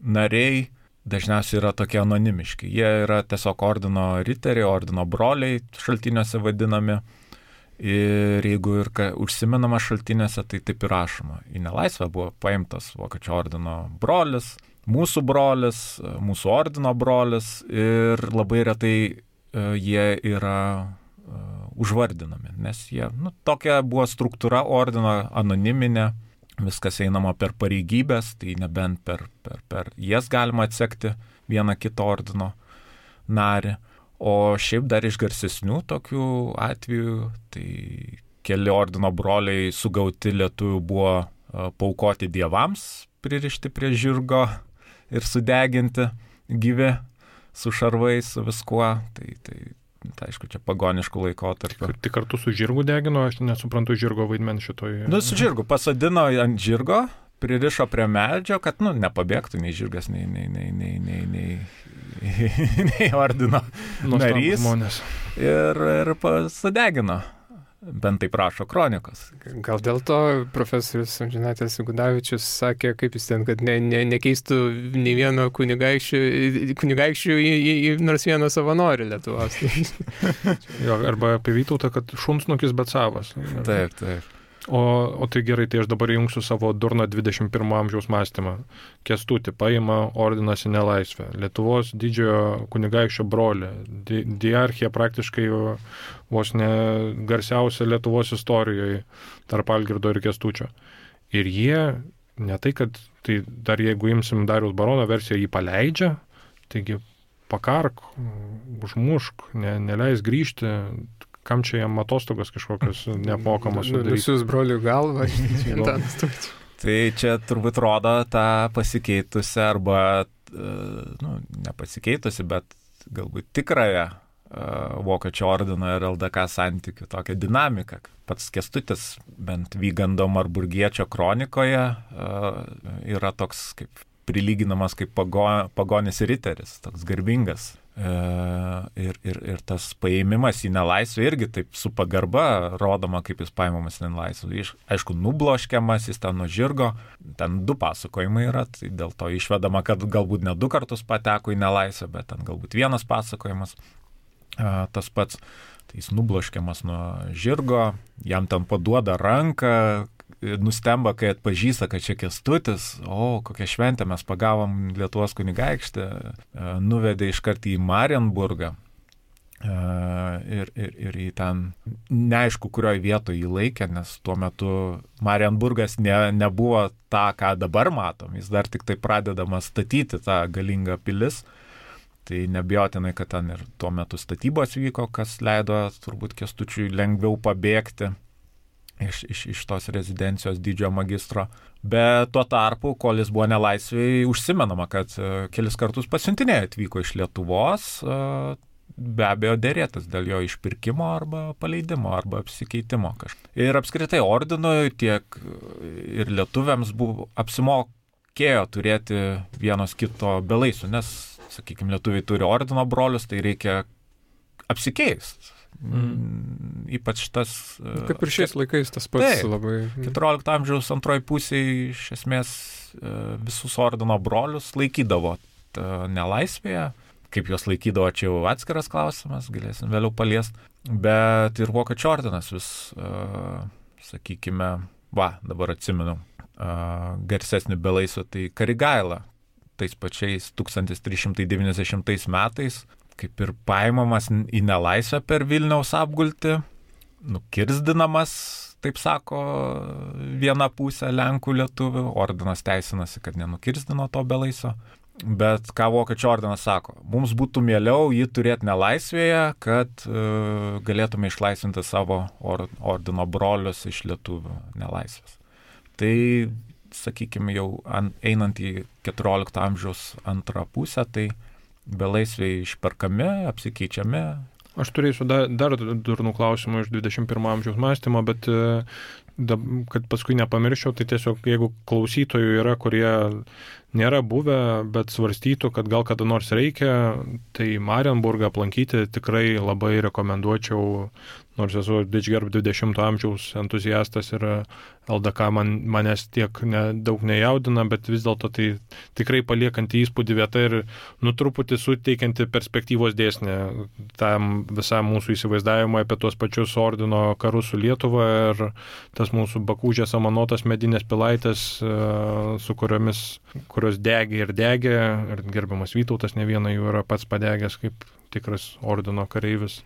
nariai dažniausiai yra tokie anonimiški. Jie yra tiesiog ordino riteriai, ordino broliai šaltiniuose vadinami. Ir jeigu ir ka, užsimenama šaltiniuose, tai taip ir rašoma. Į nelaisvę buvo paimtas Vokiečių ordino brolis, mūsų brolis, mūsų ordino brolis ir labai retai uh, jie yra užvardinami, nes jie, nu, tokia buvo struktūra ordino anoniminė, viskas einama per pareigybės, tai nebent per, per, per jas galima atsekti vieną kitą ordino narį, o šiaip dar iš garsesnių tokių atvejų, tai keli ordino broliai sugauti lietuvių buvo paaukoti dievams, pririšti prie žirgo ir sudeginti gyvi su šarvais, su viskuo, tai, tai Tai aišku, čia pagoniškų laikotarpių. Tik kartu su žirgu degino, aš nesuprantu žirgo vaidmens šitoj. Nu, su žirgu pasadino ant žirgo, pririšo prie medžio, kad, nu, nepabėgtų nei žirgas, nei, nei, nei, nei, nei, nei, nei ordino narys. Ir, ir sudegino. Bent taip rašo kronikos. Gal dėl to profesorius Amžinatilsį Gudavičius sakė, kaip jis ten, kad ne, ne, nekeistų nei vieno kunigaikščių, kunigaikščių į, į, į nors vieną savanorį Lietuvos. Jo, arba apie Vytautą, kad šunsnukis, bet savas. Taip, taip. O, o tai gerai, tai aš dabar jungsiu savo durną dvidešimt pirmo amžiaus mąstymą. Kęstutį paima ordinas į nelaisvę. Lietuvos didžiojo kunigaikščio brolį. Di, diarchija praktiškai vos ne garsiausia Lietuvos istorijoje tarp Algirdo ir Kęstučio. Ir jie, ne tai, kad tai dar jeigu imsim Dariaus barono versiją, jį paleidžia, taigi pakark, užmušk, ne, neleis grįžti. Kam čia jam atostogos kažkokios neapmokamos sudaryti? Nusius brolių galvą. Tai čia turbūt rodo tą pasikeitusią arba, nu, nepasikeitusi, bet galbūt tikrąją Vokiečių ordino ir L D K santykių tokią dinamiką. Pats Kęstutis, bent Vygando Marburgiečio kronikoje, yra toks kaip prilyginamas kaip pago, pagonis riteris, toks garbingas. Ir, ir, ir tas paėmimas į nelaisvę irgi taip su pagarba rodoma, kaip jis paimamas į nelaisvę. Aišku, nubloškiamas, jis ten nuo žirgo, ten du pasakojimai yra, tai dėl to išvedama, kad galbūt ne du kartus pateko į nelaisvę, bet ten galbūt vienas pasakojimas. Tas pats, tai jis nubloškiamas nuo žirgo, jam ten paduoda ranką, nustemba, kai atpažįsta, kad čia Kęstutis, o kokią šventę mes pagavom Lietuvos kunigaikštį, nuvedė iškart į Marienburgą ir, ir, ir į ten neaišku, kurioje vietoje jį laikė, nes tuo metu Marienburgas ne, nebuvo tą, ką dabar matom, jis dar tik tai pradedamas statyti tą galingą pilis. Tai nebijotinai, kad ten ir tuo metu statybos vyko, kas leido turbūt Kęstučiui lengviau pabėgti iš, iš, iš tos rezidencijos didžiojo magistro. Bet tuo tarpu, kol jis buvo nelaisvėj, užsimenama, kad kelis kartus pasiuntinėjai atvyko iš Lietuvos, be abejo dėrėtas dėl jo išpirkimo arba paleidimo arba apsikeitimo kažkaip. Ir apskritai ordinui tiek ir lietuviams buvo apsimokėjo turėti vienos kito belaisvių, nes, sakykime, lietuviai turi ordino brolius, tai reikia apsikeisti. Mm. Ypač tas... Kaip ir šiais laikais tas pats tai, labai... keturiolikto amžiaus antroji pusėje iš esmės visus ordino brolius laikydavo nelaisvėje. Kaip juos laikydavo, čia jau atskiras klausimas, galėsim vėliau paliesti. Bet ir Vokiečių ordinas vis, sakykime, va, dabar atsimenu, garsesnį belaisvę, tai Karigaila, tais pačiais tūkstantis trys šimtai devyniasdešimtais metais, kaip ir paimamas į nelaisvę per Vilniaus apgultį, nukirzdinamas, taip sako, viena pusė Lenkų lietuvių, ordinas teisinasi, kad nenukirzdino to belaisvio, bet ką Vokiečių ordinas sako, mums būtų mieliau jį turėti nelaisvėje, kad uh, galėtume išlaisvinti savo or, ordino brolius iš lietuvių nelaisvės. Tai, sakykime, jau an, einant į keturiolikto amžiaus antrą pusę, tai belaisviai išperkami, apsikeičiami. Aš turėsiu dar, dar durnų klausimų iš dvidešimt pirmo amžiaus mąstymo, bet da, kad paskui nepamirščiau, tai tiesiog jeigu klausytojų yra, kurie nėra buvę, bet svarstytų, kad gal kada nors reikia, tai Marienburgą aplankyti tikrai labai rekomenduočiau, nors esu didžgerb dvidešimto amžiaus entuziastas ir L D K man, manęs tiek ne, daug nejaudina, bet vis dėlto tai tikrai paliekanti įspūdį vieta ir nu truputį suteikianti perspektyvos dėsnį tam visam mūsų įsivaizdavimui apie tuos pačius ordino karus su Lietuva ir tas mūsų Bakūžės amanotas medinės pilaitės, su kuriomis, kurios degė ir degė, ir gerbiamas Vytautas ne vieną jų yra pats padegęs kaip tikras ordino kareivis,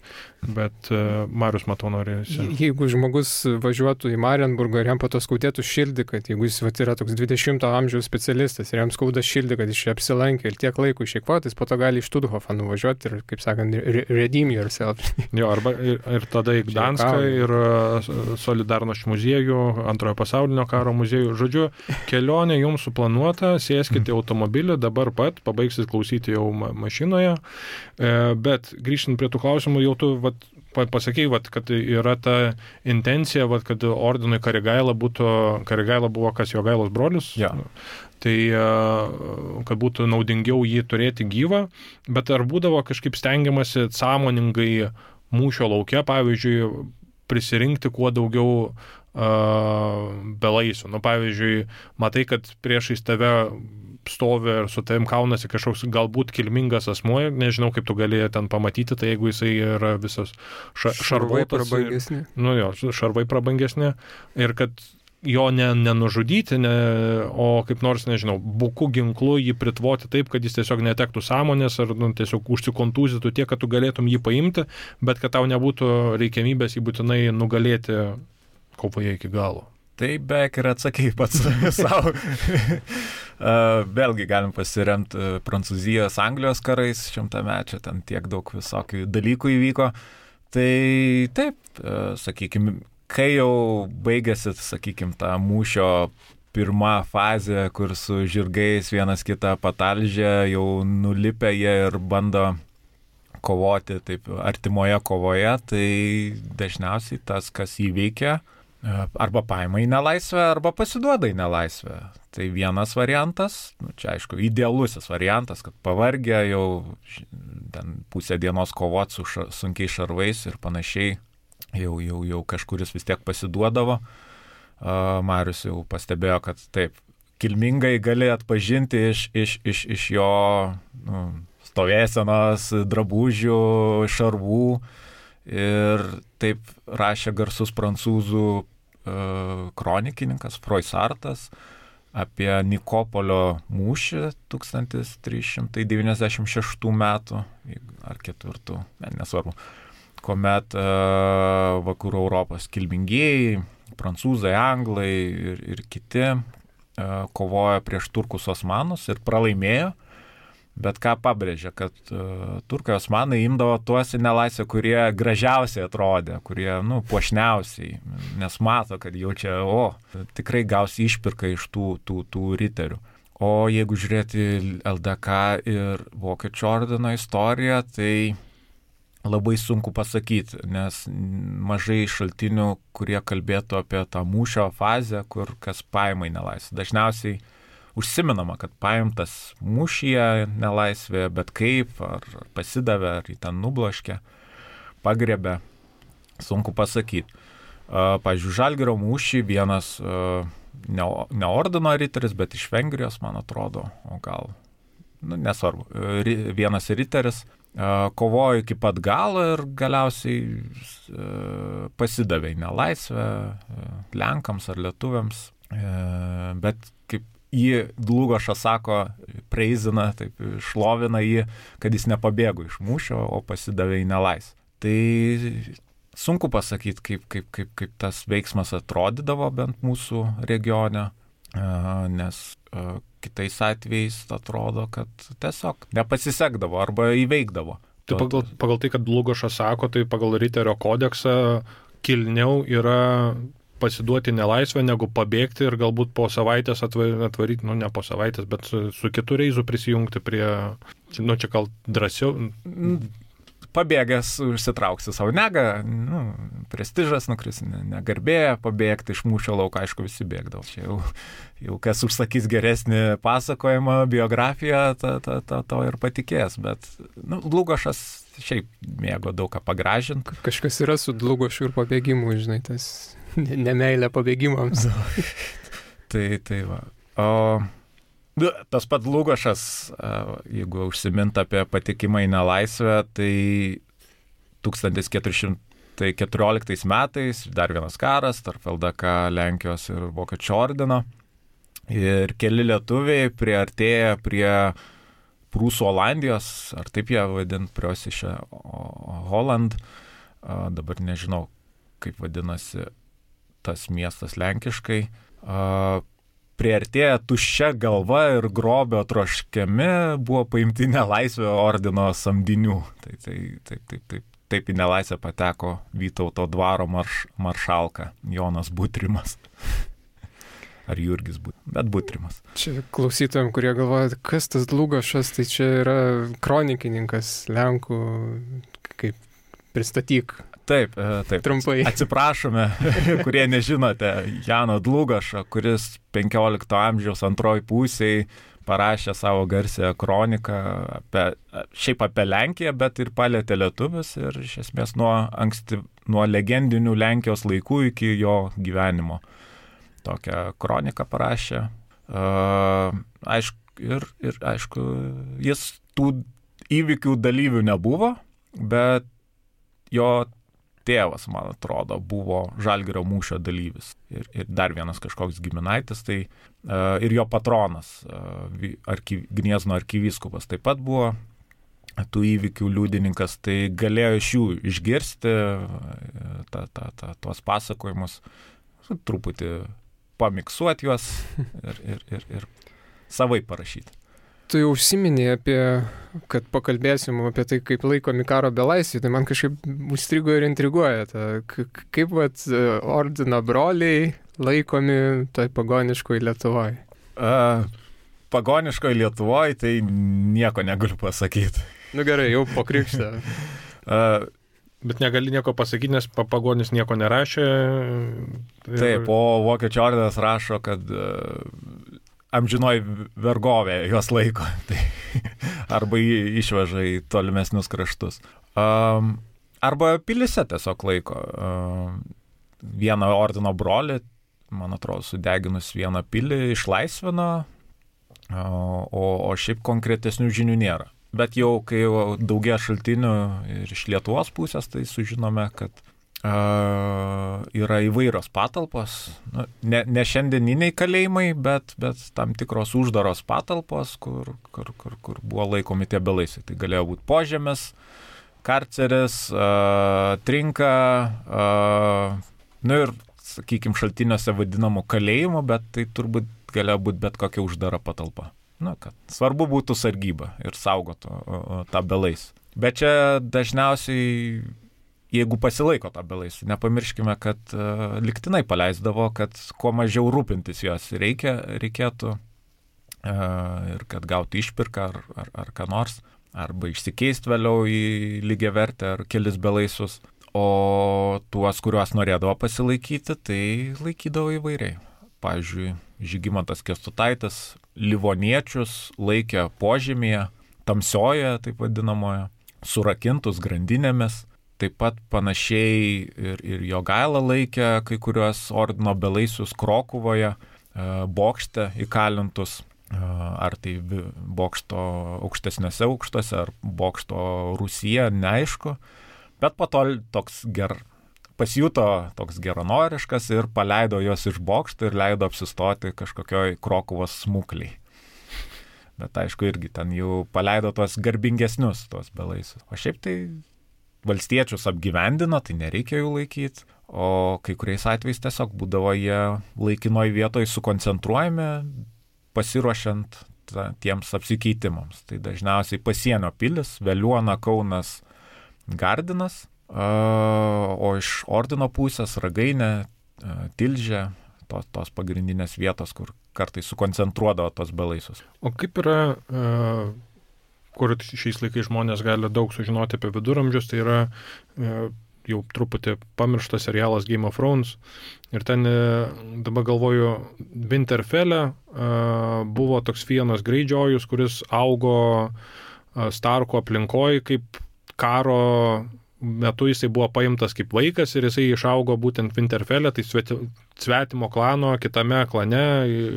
bet uh, Marius matau norėjusi. Jeigu žmogus važiuotų į Marienburgą ir jam po to skaudėtų širdį, kad jeigu jis vat, yra toks dvidešimto amžiaus specialistas ir jam skauda širdį, kad jis čia apsilankė ir tiek laiko išeikvotis, po to gali į Štuthofą nuvažiuoti ir, kaip sakant, redeem yourself. Jo, arba ir, ir tada į Gdanską ir uh, Solidarnosc muziejų, antrojo pasaulinio karo muziejų. Žodžiu, kelionė jums suplanuota, sėskite automobilį, dabar pat, pabaigsit klausyti jau ma- mašinoje. E, bet grįžtant prie tų klausimų, jau tu vat, pasakei, vat, kad yra ta intencija, vat, kad ordinui Karigaila būtų, Karigaila buvo kas Jogailos brolius, ja. Tai kad būtų naudingiau jį turėti gyvą, bet ar būdavo kažkaip stengiamasi sąmoningai mūšio lauke, pavyzdžiui, prisirinkti kuo daugiau uh, belaisių. Nu, pavyzdžiui, matai, kad priešais tave stovi ir su tavim kaunasi kažkoks galbūt kilmingas asmuo, nežinau, kaip tu galėjai ten pamatyti, tai jeigu jisai yra visas ša šarvai šarvotas. Prabangesni. Nu jo, šarvai prabangesni. Ir kad jo ne, nenužudyti, ne, o kaip nors, nežinau, buku ginklu jį pritvoti taip, kad jis tiesiog netektų sąmonės ar nu, tiesiog užsikontūzytų tiek, kad tu galėtum jį paimti, bet kad tau nebūtų reikiamybės jį būtinai nugalėti kovoje iki galo. Tai beveik ir atsakei pats savo. Vėlgi galim pasiremti Prancūzijos, Anglijos karais šimtamečio, ten tiek daug visokių dalykų įvyko. Tai taip, sakykime, kai jau baigėsi, sakykime, ta mūšio pirma fazė, kur su žirgais vienas kitą patalžė, jau nulipę jie ir bando kovoti taip artimoje kovoje, tai dažniausiai tas, kas įveikia, arba paima į nelaisvę, arba pasiduoda į nelaisvę. Tai vienas variantas, nu, čia aišku, idealusis variantas, kad pavargę jau ten pusę dienos kovot su ša, sunkiai šarvais ir panašiai, Jau, jau, jau kažkuris vis tiek pasiduodavo. Uh, Marius jau pastebėjo, kad taip, kilmingai gali atpažinti iš, iš, iš, iš jo nu, stovėsenos, drabužių, šarvų. Ir taip rašė garsus prancūzų uh, kronikininkas Froissartas apie Nikopolio mūšį tūkstantis trys šimtai devyniasdešimt šeštų metų, ar ketvirtų, ne, nesvarbu. Kuomet uh, vakarų Europos kilmingieji, prancūzai, anglai ir, ir kiti uh, kovojo prieš turkus osmanus ir pralaimėjo, bet ką pabrėžė, kad uh, turkai osmanai imdavo tuos į nelaisvę, kurie gražiausiai atrodė, kurie, nu, puošniausiai, nes mato, kad jau čia, o, tikrai gausi išpirką iš tų, tų, tų riterių. O jeigu žiūrėti L D K ir Vokiečių ordino istoriją, tai labai sunku pasakyti, nes mažai šaltinių, kurie kalbėtų apie tą mūšio fazę, kur kas paima į nelaisvę. Dažniausiai užsiminama, kad paimtas mūšyje nelaisvėje, bet kaip, ar pasidavė, ar jį ten nubloškė, pagrebė, sunku pasakyti. Pavyzdžiui, Žalgirio mūšį vienas ne, ne ordino riteris, bet iš Vengrijos, man atrodo, o gal, nu, nesvarbu, vienas riteris kovojo iki pat galo ir galiausiai pasidavė į nelaisvę Lenkams ar lietuviams, bet kaip jį Dlugošas sako, preizina, taip šlovina jį, kad jis nepabėgo iš mūšio, o pasidavė į nelaisvę. Tai sunku pasakyti, kaip, kaip, kaip, kaip tas veiksmas atrodydavo bent mūsų regione, nes kitais atvejais atrodo, kad tiesiog nepasisekdavo arba įveikdavo. Tai pagal, pagal tai, kad Dlugošas sako, tai pagal Riterio kodeksą kilniau yra pasiduoti nelaisvę, negu pabėgti ir galbūt po savaitės atvaryti, nu ne po savaitės, bet su, su kitu reizu prisijungti prie, nu čia gal drąsiau. Pabėgęs užsitrauksi savo negą, nu, prestižas nukris, negarbė, pabėgti iš mūšio lauko, aišku, visi bėgdavo. Čia jau, jau kas užsakys geresnį pasakojimą, biografiją, ta, ta, ta, to ir patikės. Bet nu, Dlugošas šiaip mėgo daug ką pagražinti. Kažkas yra su Dlugošu ir pabėgimu, žinai, tas nemeilė pabėgimams. tai, tai va. O tas pat Dlugošas, jeigu užsiminta apie patekimą į nelaisvę, tai tūkstantis keturi šimtai keturioliktais metais dar vienas karas tarp L D K, Lenkijos ir Vokiečių ordino. Ir keli lietuviai priartėja prie Prūsų Olandijos, ar taip jie vadint, Preußische Holland. Dabar nežinau, kaip vadinasi tas miestas lenkiškai. Priartėję tuščia galva ir grobio troškiami buvo paimti nelaisvę ordino samdinių. Tai, tai, taip, taip, taip, taip į nelaisvę pateko Vytauto dvaro marš, maršalka Jonas Butrimas. Ar Jurgis Butrimas, bet Butrimas. Čia klausytojams, kurie galvoja, kas tas Dlugošas, tai čia yra kronikininkas Lenkų, kaip pristatyk. Taip, taip. Trumpai. Atsiprašome, kurie nežinote, Jano Dlugošo, kuris penkiolikto amžiaus antroji pusėje parašė savo garsią kroniką apie, šiaip apie Lenkiją, bet ir palėtė lietuvius ir iš esmės nuo, anksti, nuo legendinių Lenkijos laikų iki jo gyvenimo. Tokią kroniką parašė. Uh, aišku, ir, ir aišku, jis tų įvykių dalyvių nebuvo, bet jo tėvas, man atrodo, buvo Žalgirio mūšio dalyvis. Ir, ir dar vienas kažkoks giminaitis, tai uh, ir jo patronas, uh, arky, Gniezno arkivyskupas taip pat buvo tų įvykių liudininkas, tai galėjo iš jų išgirsti uh, ta, ta, ta, tuos pasakojimus, truputį pamiksuoti juos ir, ir, ir, ir savai parašyti. Tu jau užsiminėjai apie, kad pakalbėsim apie tai, kaip laikomi karo belaisviai, tai man kažkaip užstrigo ir intriguoja. Ta, kaip vat ordino broliai laikomi toj pagoniškoj Lietuvoje? Uh, pagoniškoj Lietuvoje tai nieko negaliu pasakyti. Nu gerai, jau po krikštą. uh, Bet negali nieko pasakyti, nes pagonis nieko nerašė. Ir... Taip, o Vokiečių ordinas rašo, kad uh, amžinoji vergovė juos laiko, tai arba išveža į tolimesnius kraštus. Um, arba pilyse tiesiog laiko. Um, vieną ordino brolį, man atrodo, sudeginus vieną pilį, išlaisvino, o, o šiaip konkretesnių žinių nėra. Bet jau, kai jau daugia šaltinių ir iš Lietuvos pusės, tai sužinome, kad uh, yra įvairios patalpos, nu, ne, ne šiandieniniai kalėjimai, bet, bet tam tikros uždaros patalpos, kur, kur, kur, kur buvo laikomi tie belaisviai. Tai galėjo būti požemis, karceris, uh, trinka, uh, nu ir, sakykime, šaltiniuose vadinamų kalėjimų, bet tai turbūt galėjo būti bet kokia uždara patalpa. Nu, kad svarbu būtų sargyba ir saugotų o, o, tą belaisvį. Bet čia dažniausiai, jeigu pasilaiko tą belaisvį, nepamirškime, kad uh, liktinai paleisdavo, kad kuo mažiau rūpintis jos reikia, reikėtų uh, ir kad gautų išpirką ar, ar, ar ką nors, arba išsikeisti vėliau į lygiavertę ar kelis belaisvius. O tuos, kuriuos norėdavo pasilaikyti, tai laikydavo įvairiai. Pavyzdžiui, Žygimantas Kęstutaitis livoniečius laikė požemyje, tamsioje, taip vadinamoje, surakintus grandinėmis. Taip pat panašiai ir, ir Jogaila laikė kai kuriuos ordino belaisvius Krokuvoje, bokšte įkalintus, ar tai bokšto aukštesniuose aukštuose, ar bokšto Rūsyje, neaišku. Bet po to toks ger... pasijuto toks geranoriškas ir paleido juos iš bokšto ir leido apsistoti kažkokioj Krokuvos smukliai. Bet aišku, irgi ten jau paleido tuos garbingesnius, tuos belaisvius. O šiaip tai valstiečius apgyvendino, tai nereikia jų laikyti. O kai kuriais atvejais tiesiog būdavo jie laikinoj vietoj sukoncentruojami, pasiruošiant ta, tiems apsikeitimams. Tai dažniausiai pasienio pilis, Veliuona, Kaunas, Gardinas. Uh, o iš ordino pusės Ragainė, uh, Tilžė, tos, tos pagrindinės vietos, kur kartais sukoncentruodavo tos belaisvius. O kaip yra, uh, kur šiais laikais žmonės gali daug sužinoti apie viduramžius, tai yra uh, jau truputį pamirštas serialas Game of Thrones. Ir ten uh, dabar galvoju, Winterfelle uh, buvo toks vienas Greyjoyus, kuris augo uh, Starko aplinkoje kaip karo metu jisai buvo paimtas kaip vaikas ir jisai išaugo būtent Winterfelle, tai svetimo klano, kitame klane,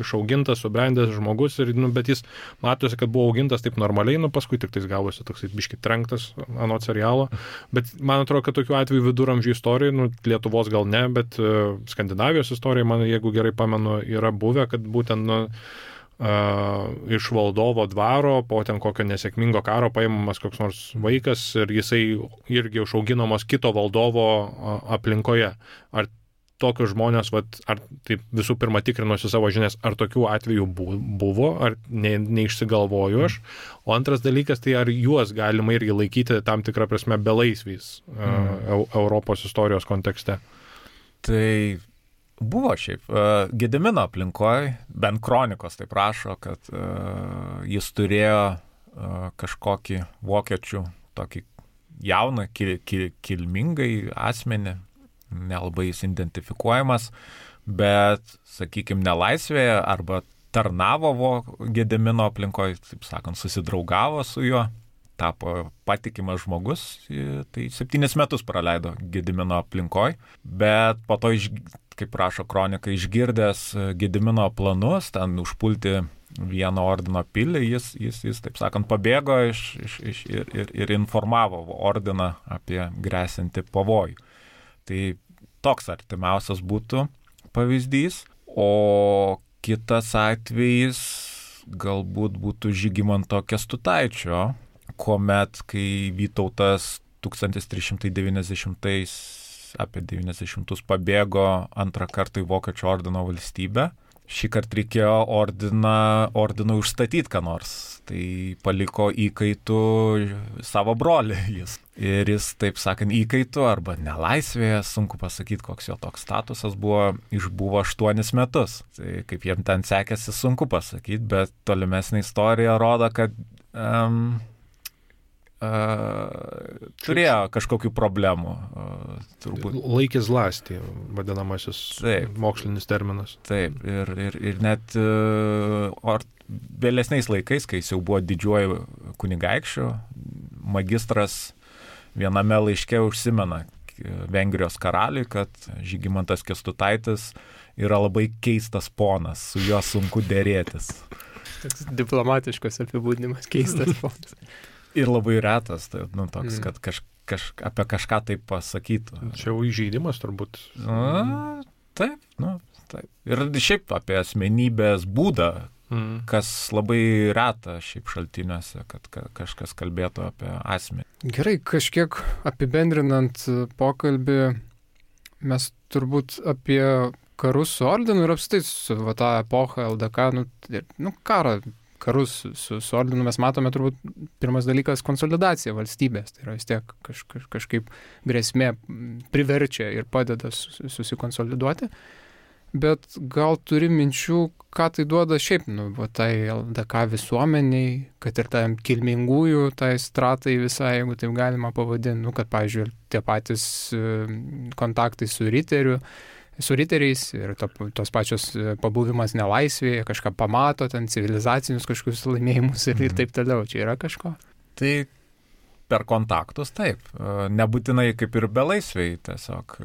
išaugintas, subrendęs žmogus, ir, nu, bet jis matosi, kad buvo augintas taip normaliai, nu paskui tik tais gavosi toks biški trenktas anot serialo, bet man atrodo, kad tokių atvejų viduramžių istorijai, nu, Lietuvos gal ne, bet uh, Skandinavijos istorija, man, jeigu gerai pamenu, yra buvę, kad būtent, nu, Uh, iš valdovo dvaro po ten kokio nesėkmingo karo paimamas koks nors vaikas ir jisai irgi užauginamas kito valdovo uh, aplinkoje. Ar tokius žmonės, vat, ar taip visų pirma tikrinuosi savo žinias, ar tokių atvejų buvo, ar ne, neišsigalvoju aš. O antras dalykas, tai ar juos galima irgi laikyti tam tikrą prasme belaisviais uh, mm. Europos istorijos kontekste? Tai buvo šiaip. Gedimino aplinkoje, bent kronikos taip rašo, kad uh, jis turėjo uh, kažkokį vokiečių tokį jauną, kil, kil, kilmingai asmenį, nelabai jis identifikuojamas, bet, sakykime, nelaisvėje arba tarnavo Gedimino aplinkoje, taip sakant, susidraugavo su juo, tapo patikimas žmogus, tai septynis metus praleido Gedimino aplinkoje, bet po to, kaip rašo kronika, išgirdęs Gedimino planus, ten užpulti vieno ordino pilį, jis, jis, jis taip sakant, pabėgo iš, iš, iš, ir, ir, ir informavo ordiną apie grėsintį pavojų. Tai toks artimiausias būtų pavyzdys, o kitas atvejis galbūt būtų Žygimanto Kęstutaičio, kuomet, kai Vytautas tūkstantis trys šimtai devyniasdešimtais apie devyniasdešimtus pabėgo antrą kartą į Vokiečių ordino valstybę, šį kartą reikėjo ordiną, ordinui užstatyti ką nors. Tai paliko įkaitų savo brolį jis. Ir jis, taip sakant, įkaitų arba nelaisvėje, sunku pasakyti, koks jo toks statusas buvo, išbuvo aštuonis metus. Tai kaip jiem ten sekėsi, sunku pasakyti, bet tolimesnė istorija rodo, kad um, Uh, turėjo kažkokių problemų. Uh, turbūt. Laikis lasti, vadinamasis taip, mokslinis terminas. Taip, ir, ir, ir net uh, or, vėlesniais laikais, kai jis jau buvo didžiuoju kunigaikščiu, magistras viename laiške užsimena Vengrijos karaliui, kad Žygimantas Kęstutaitis yra labai keistas ponas, su juo sunku dėrėtis. Toks diplomatiškas apibūdinimas, keistas ponas. Ir labai retas, tai, nu, toks, kad kaž, kaž, apie kažką taip pasakytų. Čia jau įžeidimas turbūt. Na, taip, nu, taip. Ir šiaip apie asmenybės būdą, mm. kas labai reta šiaip šaltiniuose, kad ka, kažkas kalbėtų apie asmenį. Gerai, kažkiek apibendrinant pokalbį, mes turbūt apie karus su ordinu ir apstai su va, tą epochą L D K, nu, nu karą, karus su, su ordinu mes matome turbūt pirmas dalykas konsolidacija valstybės. Tai yra vis tiek kaž, kaž, kažkaip grėsmė priverčia ir padeda susikonsoliduoti. Bet gal turi minčių, ką tai duoda šiaip, nu, va, tai L D K visuomeniai, kad ir tam kilmingųjų, tai stratai visai, jeigu taip galima pavadinti, nu, kad, pavyzdžiui, tie patys kontaktai su riteriu, su riteriais ir to, tos pačios pabuvimas nelaisvėje, kažką pamato, ten civilizacinius kažkokius laimėjimus ir, ir taip toliau. Čia yra kažko? Tai per kontaktus taip. Nebūtinai kaip ir belaisviai, tiesiog,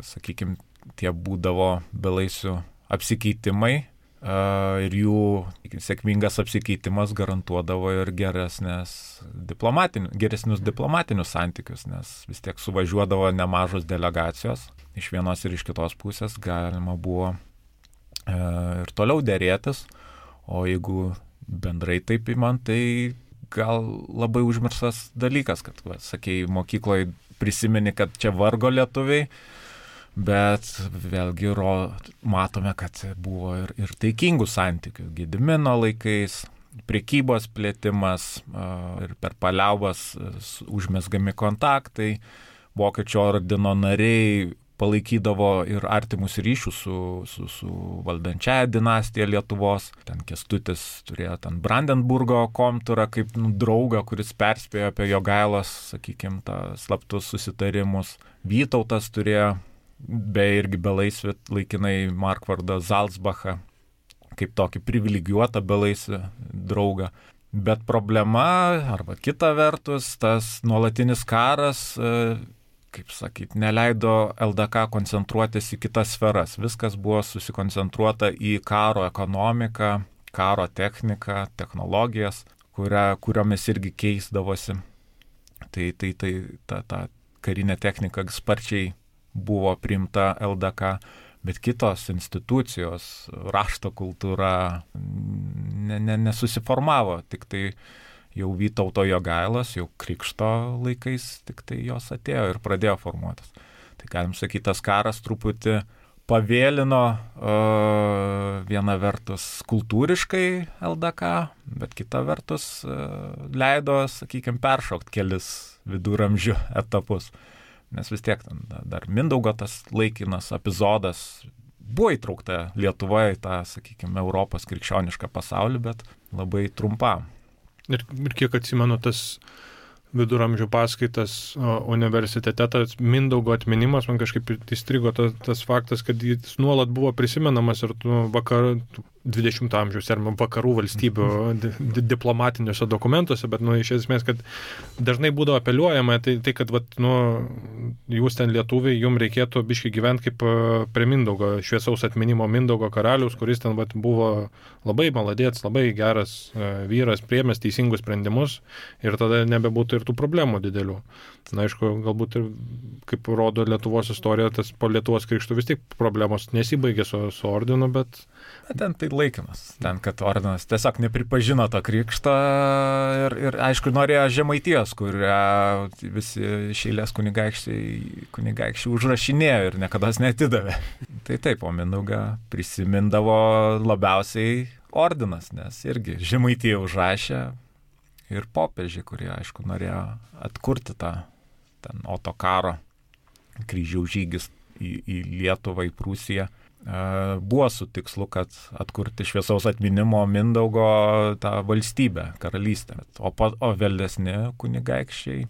sakykime, tie būdavo belaisvių apsikeitimai ir jų sėkmingas apsikeitimas garantuodavo ir geresnės diplomatinius, geresnius diplomatinius santykius, nes vis tiek suvažiuodavo nemažos delegacijos iš vienos ir iš kitos pusės, galima buvo e, ir toliau dėrėtis, o jeigu bendrai taip įman, tai gal labai užmirstas dalykas, kad, va, sakei, mokykloje prisimeni, kad čia vargo lietuviai, bet vėlgi ro, matome, kad buvo ir, ir taikingų santykių. Gedimino laikais, prekybos plėtimas ir per paliaubas užmesgami kontaktai, Vokiečių ordino nariai palaikydavo ir artimus ryšius su, su, su valdančiaja dinastija Lietuvos. Ten Kęstutis turėjo ten Brandenburgo komturą kaip nu, draugą, kuris perspėjo apie Jogailos, sakykime, slaptus susitarimus. Vytautas turėjo be irgi belaisvį laikinai Markvardą Zalcbachą kaip tokį privilegijuotą belaisvį draugą. Bet problema, arba kita vertus, tas nuolatinis karas, kaip sakyti, neleido L D K koncentruotis į kitas sferas. Viskas buvo susikoncentruota į karo ekonomiką, karo techniką, technologijas, kuria, kuriomis irgi keisdavosi. Tai, tai, tai ta, ta karinė technika sparčiai buvo priimta L D K, bet kitos institucijos, rašto kultūra ne, ne, nesusiformavo, tik tai jau Vytauto Jogailos, jau Krikšto laikais tik tai jos atėjo ir pradėjo formuotis. Tai galim sakyti, tas karas truputį pavėlino uh, viena vertus kultūriškai L D K, bet kita vertus uh, leido, sakykime, peršokti kelis viduramžių etapus. Nes vis tiek dar Mindaugo tas laikinas epizodas buvo įtraukta Lietuvoje į tą, sakykime, Europos krikščionišką pasaulį, bet labai trumpam. Ir, ir kiek atsimenu, tas viduramžių paskaitas universitete, tas Mindaugo atminimas, man kažkaip įstrigo tas, tas faktas, kad jis nuolat buvo prisimenamas ir vakar, dvidešimto amžiaus ar vakarų valstybių di- diplomatiniuose dokumentuose, bet nu, iš esmės, kad dažnai būdavo apeliuojama, tai, tai kad vat, nu, jūs ten lietuviai, jums reikėtų biškai gyventi kaip prie Mindaugo, šviesaus atminimo Mindaugo karalius, kuris ten vat, buvo labai maladėts, labai geras vyras, priėmęs teisingus sprendimus ir tada nebebūtų ir tų problemų didelių. Na, aišku, galbūt ir, kaip rodo Lietuvos istorija, tas po Lietuvos krikštų vis tik problemos nesibaigė su, su ordinu, bet... Ten tai laikinas. Ten, kad ordinas tiesiog nepripažino to krikšto ir, ir aišku, norėjo Žemaitijos, kurią visi šeilės kunigaikščiai, kunigaikščiai užrašinėjo ir niekada netidavė. Tai taip, o Mindaugą prisimindavo labiausiai ordinas, nes irgi Žemaitija užrašė ir popiežiai, kurie, aišku, norėjo atkurti tą ten Otokaro kryžiaus žygis į, į Lietuvą, į Prūsiją. Buvo su tikslu, kad atkurti šviesaus atminimo Mindaugo tą valstybę, karalystę. O, o vėlesni kunigaikščiai,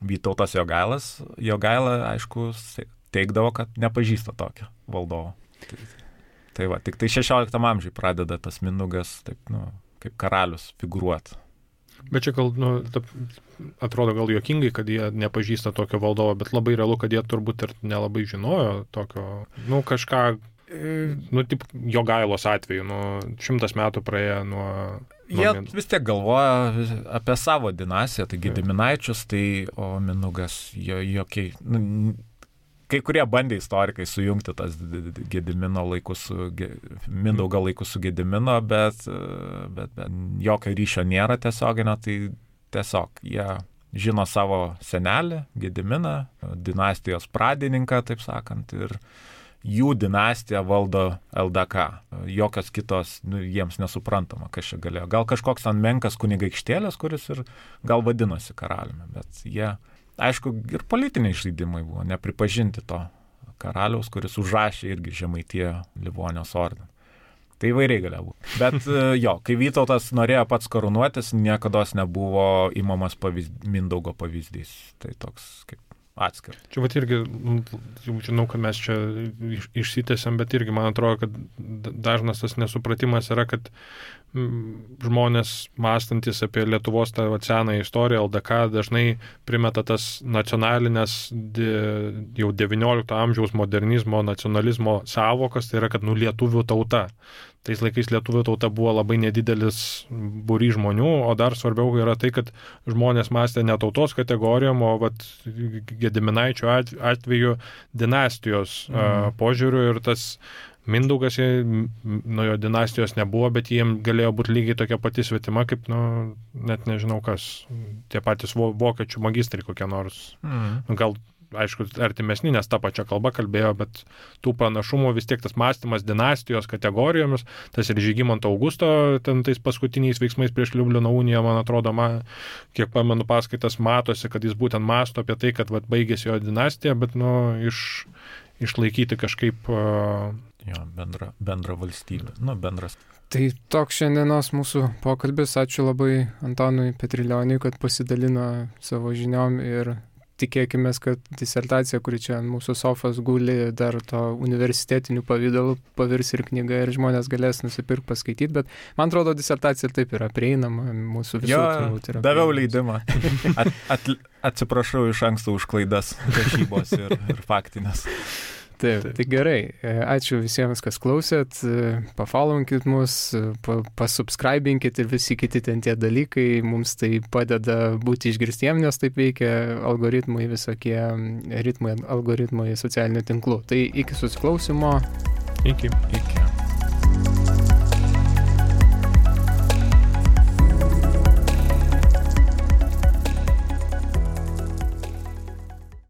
Vytautas Jogailas, Jogaila, aišku, teigdavo, kad nepažįsta tokio valdovo. Tai, tai va, tik tai šešioliktam amžiui pradeda tas Mindaugas taip, nu, kaip karalius figūruoti. Bet čia gal, nu, atrodo gal juokingai, kad jie nepažįsta tokio valdovo, bet labai realu, kad jie turbūt ir nelabai žinojo tokio, nu, kažką, nu, taip, Jogailos atveju, nu, šimtas metų praėjo nuo... Jie nuo vis tiek galvoja apie savo dinastiją, tai Gediminaičius, tai, o Mindaugas, jo, jokiai, nu, kai kurie bandė istorikai sujungti tas Gedimino laikus su, Mindaugo laikus su Gedimino, bet, bet, bet jokio ryšio nėra tiesioginio, tai tiesiog jie žino savo senelį, Gediminą, dinastijos pradininką, taip sakant, ir jų dinastiją valdo L D K. Jokios kitos, nu, jiems nesuprantama, kas čia galėjo. Gal kažkoks ten menkas kunigaikštėlis, kuris ir gal vadinosi karaliumi, bet jie... Aišku, ir politiniai žaidimai buvo, nepripažinti to karaliaus, kuris užrašė irgi Žemaitiją Livonijos ordiną. Tai įvairiai galėjo būti. Bet jo, kai Vytautas norėjo pats karūnuotis, niekados nebuvo imamas pavyzd... Mindaugo pavyzdys. Tai toks kaip atskiras. Čia vat irgi, jau žinau, kad mes čia išsitęsiam, bet irgi man atrodo, kad dažnas tas nesupratimas yra, kad žmonės mąstantis apie Lietuvos tą senąją istoriją, L D K, dažnai primeta tas nacionalinės jau devyniolikto amžiaus modernizmo, nacionalizmo savokas, tai yra, kad nu lietuvių tauta. Tais laikais lietuvių tauta buvo labai nedidelis būrys žmonių, o dar svarbiau yra tai, kad žmonės mąstė ne tautos kategorijom, o vat, Gediminaičio atveju dinastijos mm. požiūriu ir tas Mindaugas, nuo jo dinastijos nebuvo, bet jiem galėjo būti lygiai tokia pati svetima, kaip, nu, net nežinau kas, tie patys vokiečių magistrai kokie nors. Mm. Gal, aišku, artimesni, nes tą pačią kalbą kalbėjo, bet tų panašumų vis tiek tas mąstymas dinastijos kategorijomis, tas ir Žygimanto Augusto, ten tais paskutiniais veiksmais prieš Liublino uniją, man atrodo, man, kiek pamenu paskaitas, matosi, kad jis būtent mąsto apie tai, kad vat, baigėsi jo dinastija, bet, nu, iš, išlaikyti kažkaip... Uh, Jo, bendra, bendra valstybė, nu, bendras. Tai toks šiandienos mūsų pokalbis. Ačiū labai Antonui Petrilioniui, kad pasidalino savo žiniom ir tikėkime, kad disertacija, kuri čia ant mūsų sofos guli, dar to universitetinių pavydalų pavirs ir knyga ir žmonės galės nusipirkti, paskaityti, bet man atrodo, disertacija ir taip yra prieinama mūsų visų. Jo, daviau leidimą. At, at, atsiprašau iš anksto už klaidas rašybos ir, ir faktinės. Taip, tai gerai. Ačiū visiems, kas klausėt. Pafollowinkit mus, pasubscribinkit ir visi kiti ten tie dalykai. Mums tai padeda būti išgirstiem, nes taip veikia algoritmai, visokie ritmai, algoritmai socialinių tinklų. Tai iki susiklausimo. Iki. Iki.